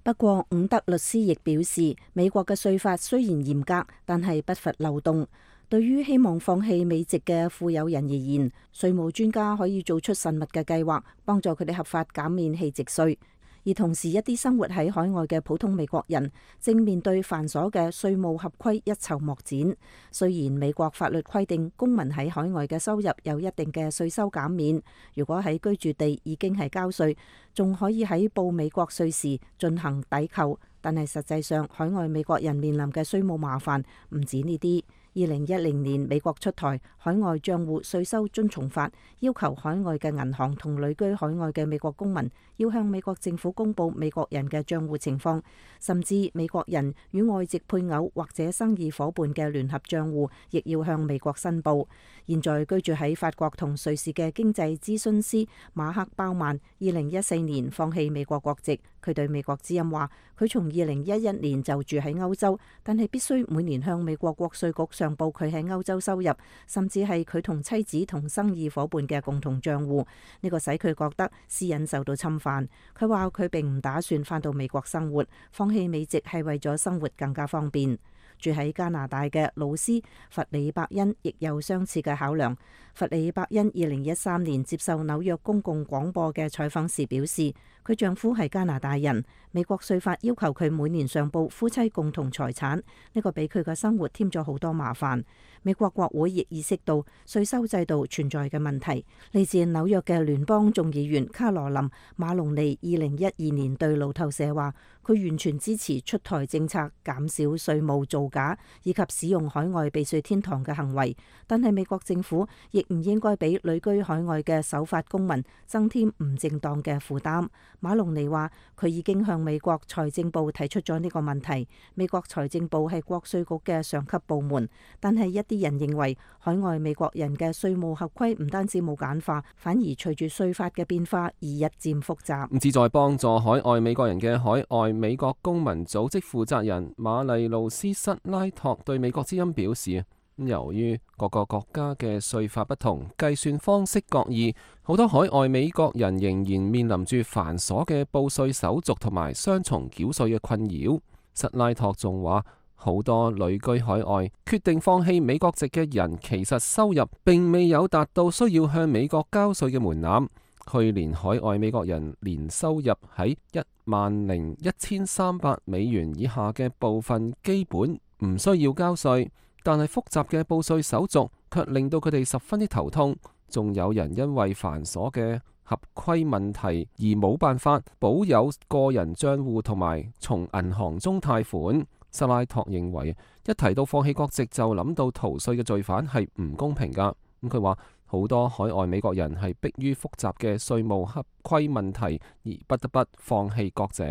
不過，伍德律師亦表示，美國嘅稅法雖然嚴格，但係不乏漏洞。對於希望放棄美籍嘅富有人而言，稅務專家可以做出慎密嘅計劃，幫助佢哋合法減免棄籍稅。而同時，一啲生活喺海外嘅普通美國人正面對繁瑣嘅稅務合規一籌莫展。雖然美國法律規定公民喺海外嘅收入有一定嘅稅收減免，如果喺居住地已經係交稅，仲可以喺報美國稅時進行抵扣，但係實際上海外美國人面臨嘅稅務麻煩唔止呢啲。二零一零年美國出台海外帳戶稅收遵從法，要求海外嘅銀行同旅居海外嘅美國公民要向美國政府公佈美國人嘅帳戶情況，甚至美國人與外籍配偶或者生意夥伴嘅聯合帳戶亦要向美國申報。現在居住喺法國同瑞士嘅經濟諮詢師馬克鮑曼，二零一四年放棄美國國籍。佢對美國之音話：佢從二零一一年就住喺歐洲，但係必須每年向美國國稅局上報佢喺歐洲收入，甚至係佢同妻子同生意夥伴嘅共同帳戶。呢個使佢覺得私隱受到侵犯。佢話佢並唔打算返到美國生活，放棄美籍係為咗生活更加方便。住喺加拿大嘅老師弗里伯恩亦有相似嘅考量。弗里伯恩二零一三年接受紐約公共廣播嘅採訪時表示，佢丈夫係加拿大人，美國稅法要求佢每年上報夫妻共同財產，呢個俾佢嘅生活添咗好多麻煩。美國國會亦意識到稅收制度存在嘅問題。嚟自紐約嘅聯邦眾議員卡羅琳馬龍尼二零一二年對路透社話，佢完全支持出台政策減少稅務造假以及使用海外避稅天堂嘅行為，但係美國政府亦唔應該俾旅居海外嘅守法公民增添唔正當嘅負擔。馬龍尼話，佢已經向美國財政部提出咗呢個問題。美國財政部係國稅局嘅上級部門，但係一啲人認為海外美國人嘅稅務合規唔單止冇簡化，反而隨住稅法嘅變化而日漸複雜。旨在幫助海外美國人嘅海外美國公民組織負責人瑪麗露斯塞拉托對美國之音表示，由於各個國家嘅稅法不同，計算方式各異，好多海外美國人仍然面臨住繁瑣嘅報稅手續同埋雙重繳稅嘅困擾。塞拉托仲話，好多旅居海外決定放棄美國籍嘅人，其實收入並未有達到需要向美國交稅嘅門檻。去年海外美國人年收入喺一萬零一千三百美元以下嘅部分基本唔需要交稅，但係複雜嘅報稅手續卻令到佢哋十分之頭痛。仲有人因為繁瑣嘅合規問題而冇辦法保有個人帳戶同埋從銀行中貸款。塞拉托認為，一提到放棄國籍就諗到逃稅嘅罪犯係唔公平㗎。咁佢話，好多海外美國人係迫於複雜嘅稅務合規問題而不得不放棄國籍。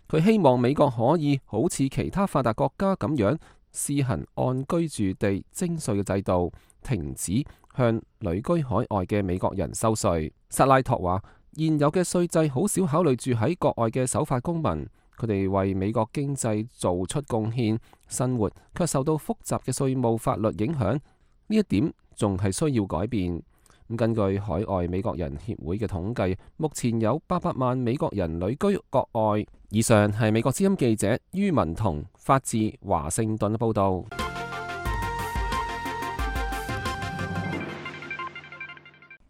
佢希望美國可以好似其他發達國家咁樣施行按居住地徵稅嘅制度，停止向旅居海外嘅美國人收稅。塞拉托話，現有嘅稅制好少考慮住喺國外嘅守法公民，佢哋為美國經濟做出貢獻，生活卻受到複雜嘅稅務法律影響。呢一點仲係需要改變。咁根據海外美國人協會嘅統計，目前有八百萬美國人旅居國外。以上係美國之音記者于文彤發自華盛頓嘅報導。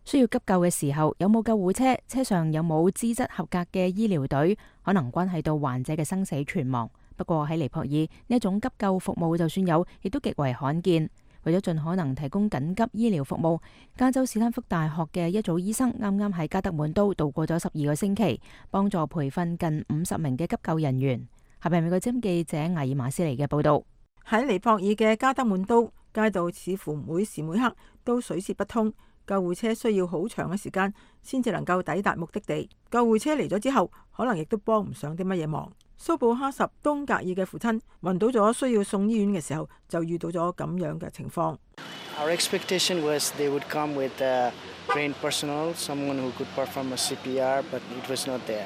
需要急救嘅時候，有冇救護車？車上有冇資質合格嘅醫療隊？可能關係到患者嘅生死存亡。不過喺尼泊爾，呢一種急救服務就算有，亦都極為罕見。為咗盡可能提供緊急醫療服務，加州史丹福大學嘅一組醫生啱啱喺加德滿都度過咗十二個星期，幫助培訓近五十名嘅急救人員。下邊美國之音記者艾爾馬斯尼嘅報道。喺尼泊爾嘅加德滿都街道似乎每時每刻都水泄不通，救護車需要好長嘅時間先至能夠抵達目的地。救護車嚟咗之後，可能亦都幫唔上啲乜嘢忙。蘇布哈什東格爾嘅父親暈倒咗，需要送醫院嘅時候，就遇到咗咁樣嘅情況。Our expectation was they would come with trained personnel, someone who could perform a C P R, but it was not there.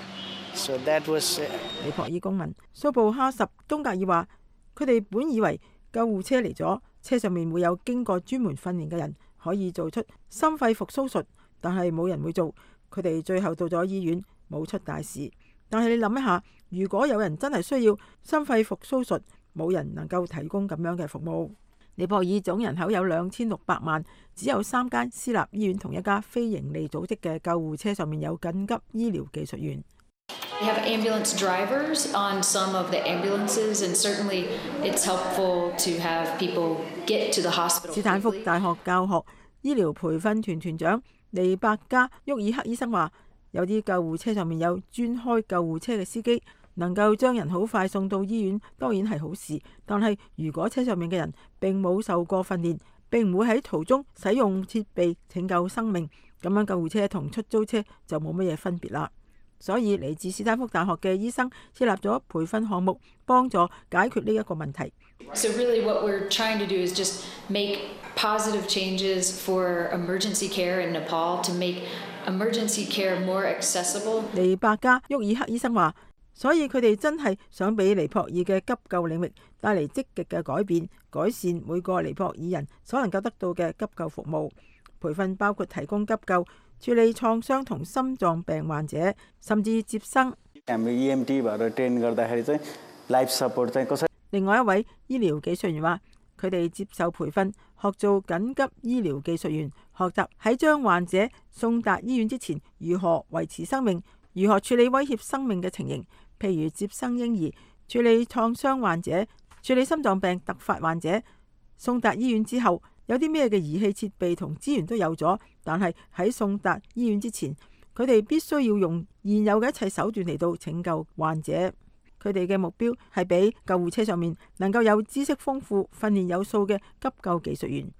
So that was. 尼泊爾公民蘇布哈什東格爾話：佢哋本以為救護車嚟咗，車上面會有經過專門訓練嘅人可以做出心肺復甦術，但係冇人會做。佢哋最後到咗醫院，冇出大事。但係你諗一下，如果有人真係需要心肺復甦術，冇人能夠提供咁樣嘅服務。尼泊爾總人口有兩千六百萬，只有三間私立醫院同一家非營利組織嘅救護車上面有緊急醫療技術員。We have ambulance drivers on some of the ambulances, and certainly it's helpful to have people get to the hospital. 斯坦福大學教學醫療培訓團團長尼伯加沃爾克醫生話：有啲救護車上面有專開救護車嘅司機，能夠將人好快送到醫院當然係好事，但係如果車上面嘅人並冇受過訓練，並唔會喺途中使用設備拯救生命，咁樣救護車同出租車就冇乜嘢分別啦。所以嚟自斯坦福大學嘅醫生設立咗培訓項目，幫助解決呢一個問題。So really what we're trying to do is just make positive changes for emergency care in Nepal to make emergency care more accessible. 尼伯加沃爾克醫生話，所以佢哋真係想俾尼泊爾嘅急救領域帶嚟積極嘅改變，改善每個尼泊爾人所能夠得到嘅急救服務。培訓包括提供急救、處理創傷同心臟病患者，甚至接生。另外一位醫療技術員話，佢哋接受培訓，學做緊急醫療技術員，學習喺將患者送達醫院之前如何維持生命，如何處理威脅生命嘅情形，譬如接生嬰兒、處理創傷患者、處理心臟病突發患者。送達醫院之後，有啲咩嘅儀器設備同資源都有咗，但係喺送達醫院之前，佢哋必須要用現有嘅一切手段嚟到拯救患者。佢哋嘅目標係俾救護車上面能夠有知識豐富、訓練有素嘅急救技術員。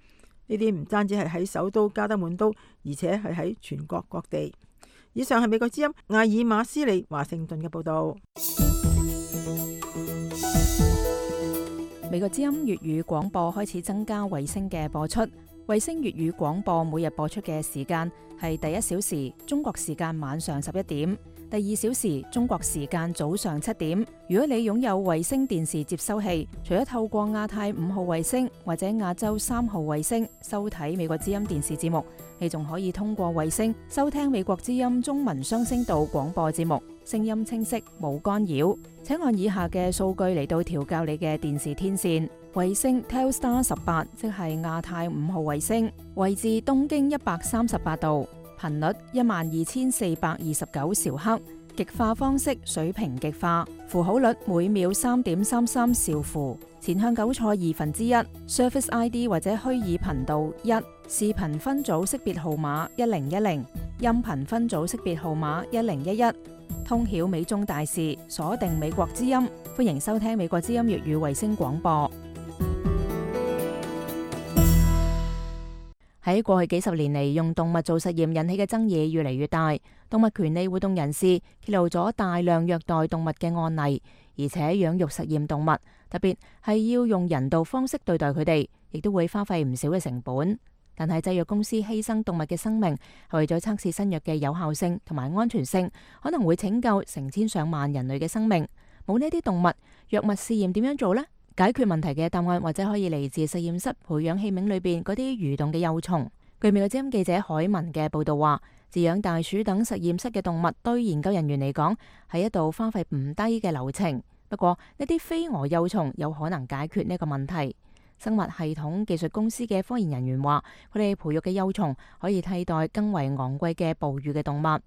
呢啲唔單止係喺首都加德滿都，而且係喺全國各地。以上係美國之音艾爾馬斯利華盛頓嘅報導。美國之音粵語廣播開始增加衛星嘅播出。衛星粵語廣播每日播出嘅時間係第一小時中國時間晚上十一點，第二小時中國時間早上七點。如果你擁有衛星電視接收器，除咗透過亞太五號衛星或者亞洲三號衛星收睇美國之音電視節目，你仲可以通過衛星收聽美國之音中文雙聲道廣播節目，聲音清晰冇干擾。請按以下嘅數據嚟到調校你嘅電視天線。衛星 Telstar 十八，即係亞太五號衛星，位置東經一百三十八度，頻率一萬二千四百二十九兆赫，極化方式水平極化，符號率每秒三點三三兆符，前向糾錯二分之一 ，Surface I D 或者虛擬頻道一，視頻分組識別號碼一零一零，音頻分組識別號碼一零一一，通曉美中大事，鎖定美國之音，歡迎收聽美國之音粵語衛星廣播。喺過去幾十年嚟，用動物做實驗引起嘅爭議越嚟越大。動物權利活動人士揭露咗大量虐待動物嘅案例，而且養育實驗動物，特別係要用人道方式對待佢哋，亦都會花費唔少嘅成本。但係製藥公司犧牲動物嘅生命，係為咗測試新藥嘅有效性同埋安全性，可能會拯救成千上萬人類嘅生命。冇呢啲動物，藥物試驗點樣做呢？解決問題嘅答案或者可以嚟自實驗室培養器皿裏邊嗰啲蠕動嘅幼蟲。據美國之音記者海文嘅報道話，飼養大鼠等實驗室嘅動物對研究人員嚟講係一道花費唔低嘅流程。不過呢啲飛蛾幼蟲有可能解決呢個問題。生物系統技術公司嘅科研人員話，佢哋培育嘅幼蟲可以替代更為昂貴嘅哺乳嘅動物。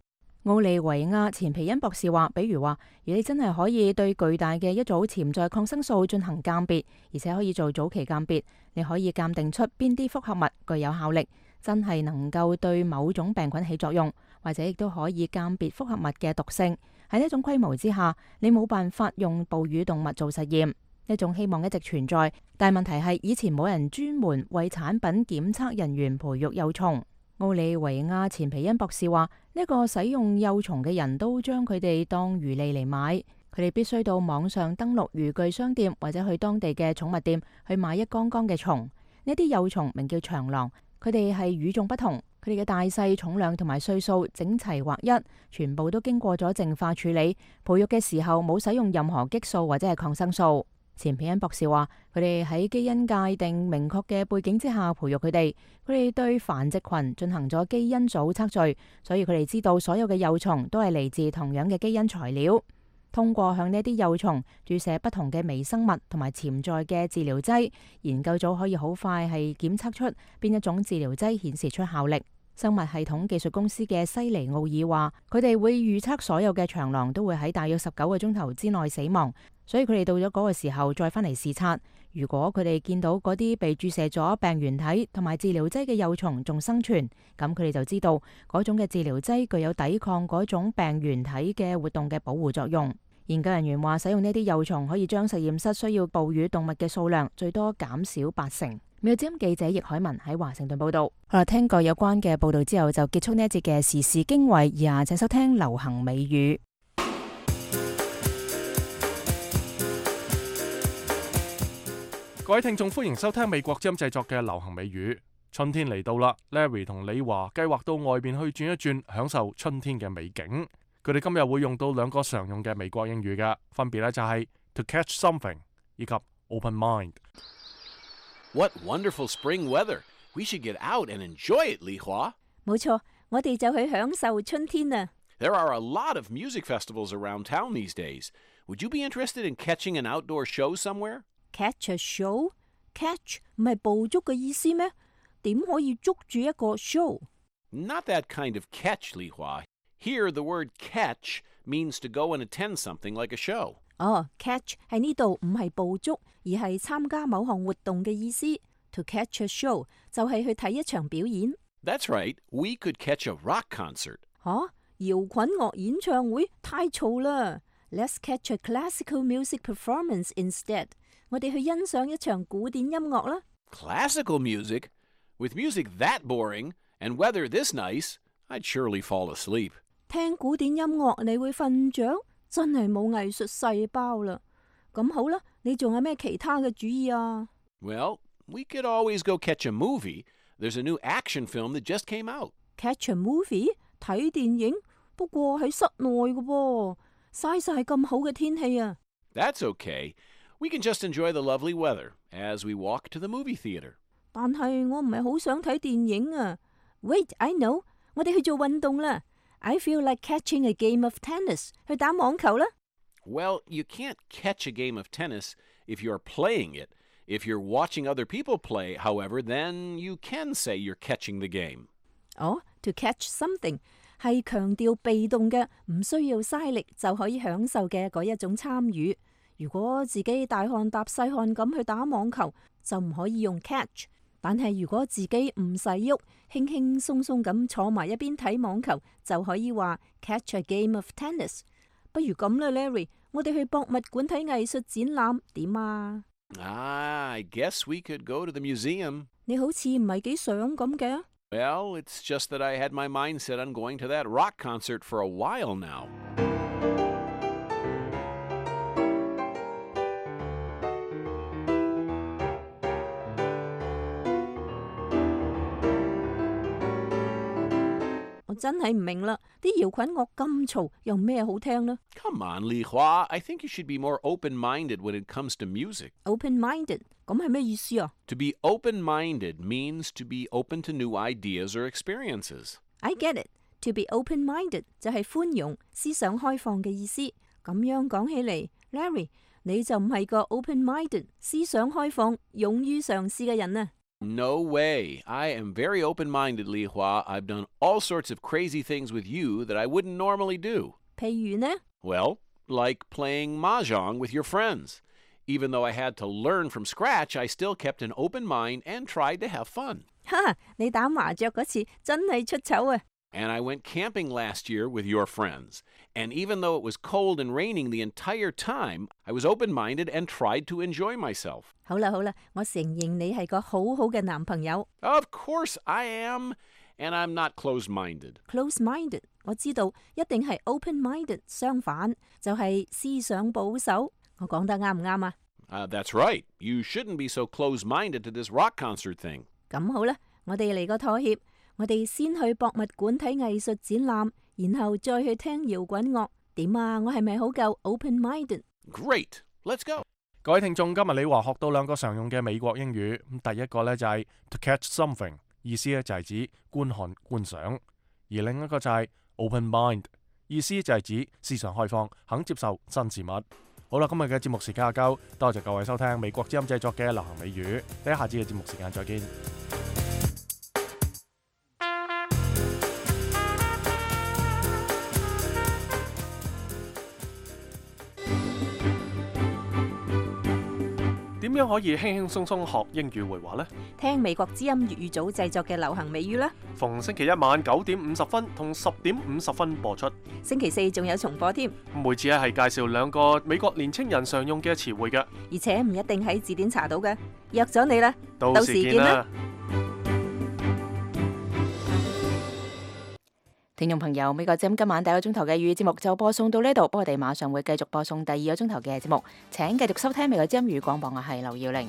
奧利維亞錢皮恩博士話，比如話，如果你真係可以對巨大嘅一組潛在抗生素進行鑑別，而且可以做早期鑑別，你可以鑑定出邊啲複合物具有效力，真係能夠對某種病菌起作用，或者亦都可以鑑別複合物嘅毒性。喺呢種規模之下，你冇辦法用哺乳動物做實驗。呢種希望一直存在，但問題係以前冇人專門為產品檢測人員培育幼蟲。奧利維亞錢皮恩博士話，呢個使用幼蟲嘅人都將佢哋當魚餌嚟買，佢哋必須到網上登錄漁具商店或者去當地嘅寵物店去買一缸缸嘅蟲。呢啲幼蟲名叫長廊，佢哋係與眾不同，佢哋嘅大細、重量同埋歲數整齊劃一，全部都經過咗淨化處理，培育嘅時候冇使用任何激素或者係抗生素。錢皮恩博士話，佢哋喺基因界定明確嘅背景之下培育佢哋，佢哋對繁殖群進行咗基因組測序，所以佢哋知道所有嘅幼蟲都係嚟自同樣嘅基因材料。通過向呢啲幼蟲注射不同嘅微生物同埋潛在嘅治療劑，研究組可以好快係檢測出邊一種治療劑顯示出效力。生物系統技術公司嘅西尼奧爾話，佢哋會預測所有嘅長廊都會喺大約十九個鐘頭之內死亡，所以佢哋到咗嗰個時候再返嚟視察。如果佢哋見到嗰啲被注射咗病原體同埋治療劑嘅幼蟲仲生存，咁佢哋就知道嗰種嘅治療劑具有抵抗嗰種病原體嘅活動嘅保護作用。研究人員話，使用呢啲幼蟲可以將實驗室需要哺乳動物嘅數量最多減少八成。美國之音記者易海文喺華盛頓報道。好啦，聽過有關嘅報道之後，就結束呢一節嘅時事經緯。以下請收聽流行美語。各位聽眾，歡迎收聽美國之音製作嘅流行美語。春天嚟到啦 ，Larry 同李華計劃到外邊去轉一轉，享受春天嘅美景。佢哋今日會用到兩個常用嘅美國英語嘅，分別咧就係 to catch something 以及 open mind。What wonderful spring weather! We should get out and enjoy it, Li Hua. 冇錯，我哋就去享受春天啊。There are a lot of music festivals around town these days. Would you be interested in catching an outdoor show somewhere? Catch a show? Catch 唔係捕捉嘅意思咩？點可以捉住一個 show? Not that kind of catch, Li Hua. Here, the word catch means to go and attend something like a show. 哦 catch 喺呢度唔係捕捉，而係參加某項活動嘅意思。To catch a show 就係去睇一場表演。That's right. We could catch a rock concert. 嚇，搖滾樂演唱會太嘈啦。Let's catch a classical music performance instead. 我哋去欣賞一場古典音樂啦。Classical music? With music that boring and weather this nice, I'd surely fall asleep. 聽古典音樂你會瞓着，真係冇藝術細胞啦。咁好啦，你仲有咩其他嘅主意啊？ Well, we could always go catch a movie. There's a new action film that just came out. Catch a movie? 睇電影？不過喺室內嘅噃，嘥晒咁好嘅天氣啊。That's okay. We can just enjoy the lovely weather as we walk to the movie theater. 但係我唔係好想睇電影啊。Wait, I know. 我哋去做運動啦。I feel like catching a game of tennis. 去打網球啦。Well, you can't catch a game of tennis if you're playing it. If you're watching other people play, however, then you can say you're catching the game. 哦 to catch something 係強調被動嘅，唔需要嘥力就可以享受嘅嗰一種參與。如果自己大汗搭細汗咁去打網球，就唔可以用 catch。但係如果自己唔使喐，輕輕鬆鬆咁坐埋一邊睇網球，就可以話 catch a game of tennis。不如咁啦 ，Larry， 我哋去博物館睇藝術展覽點啊？ Ah, I guess we could go to the museum. 你好似唔係幾想咁嘅。Well, it's just that I had my mind set on going to that rock concert for a while now. 我真係唔明啦，啲搖滾樂咁嘈，有咩好聽呢？ Come on, Li Hua. I think you should be more open-minded when it comes to music. Open-minded 咁係咩意思啊？ To be open-minded means to be open to new ideas or experiences. I get it. To be open-minded 就係寬容、思想開放嘅意思。咁樣講起嚟 ，Larry， 你就唔係個 open-minded、思想開放、勇於嘗試嘅人啊！ No way. I am very open-minded, Li Hua. I've done all sorts of crazy things with you that I wouldn't normally do. 譬如呢？ Well, like playing mahjong with your friends. Even though I had to learn from scratch, I still kept an open mind and tried to have fun. 哈！你打麻雀嗰次真係出醜啊！ And I went camping last year with your friends. And even though it was cold and raining the entire time, I was open-minded and tried to enjoy myself. 好啦好啦，我承認你係個好好嘅男朋友。 Of course I am. And I'm not closed-minded. Closed-minded 我知道一定係 open-minded 相反，就係思想保守。我講得啱唔啱啊？ Uh, that's right. You shouldn't be so closed-minded to this rock concert thing. 咁好啦，我哋嚟個妥協。我哋先去博物館睇藝術展覽，然後再去聽搖滾樂。點啊？我係咪好夠 open-minded？ Great, let's go. 各位聽眾，今日李華學到兩個常用嘅美國英語。咁第一個呢就係 to catch something， 意思呢就係指觀看觀賞；而另一個就係 open mind， 意思就係指思想開放，肯接受新事物。好啦，今日嘅節目時間夠，多謝各位收聽美國之音製作嘅流行美語。喺下次嘅節目時間再見。點樣可以輕輕鬆鬆學英語會話呢？聽美國之音粵語組製作嘅流行美語啦。逢星期一晚九點五十分同十點五十分播出。星期四仲有重播添。每次係介紹兩個美國年青人常用嘅詞彙嘅，而且唔一定喺字典查到嘅。約咗你啦，到時見啦。聽眾朋友，美國之音今晚第一個鐘頭嘅粵語節目就播送到呢度，不過我哋馬上會繼續播送第二個鐘頭嘅節目，請繼續收聽美國之音粵語廣播，我係劉耀玲。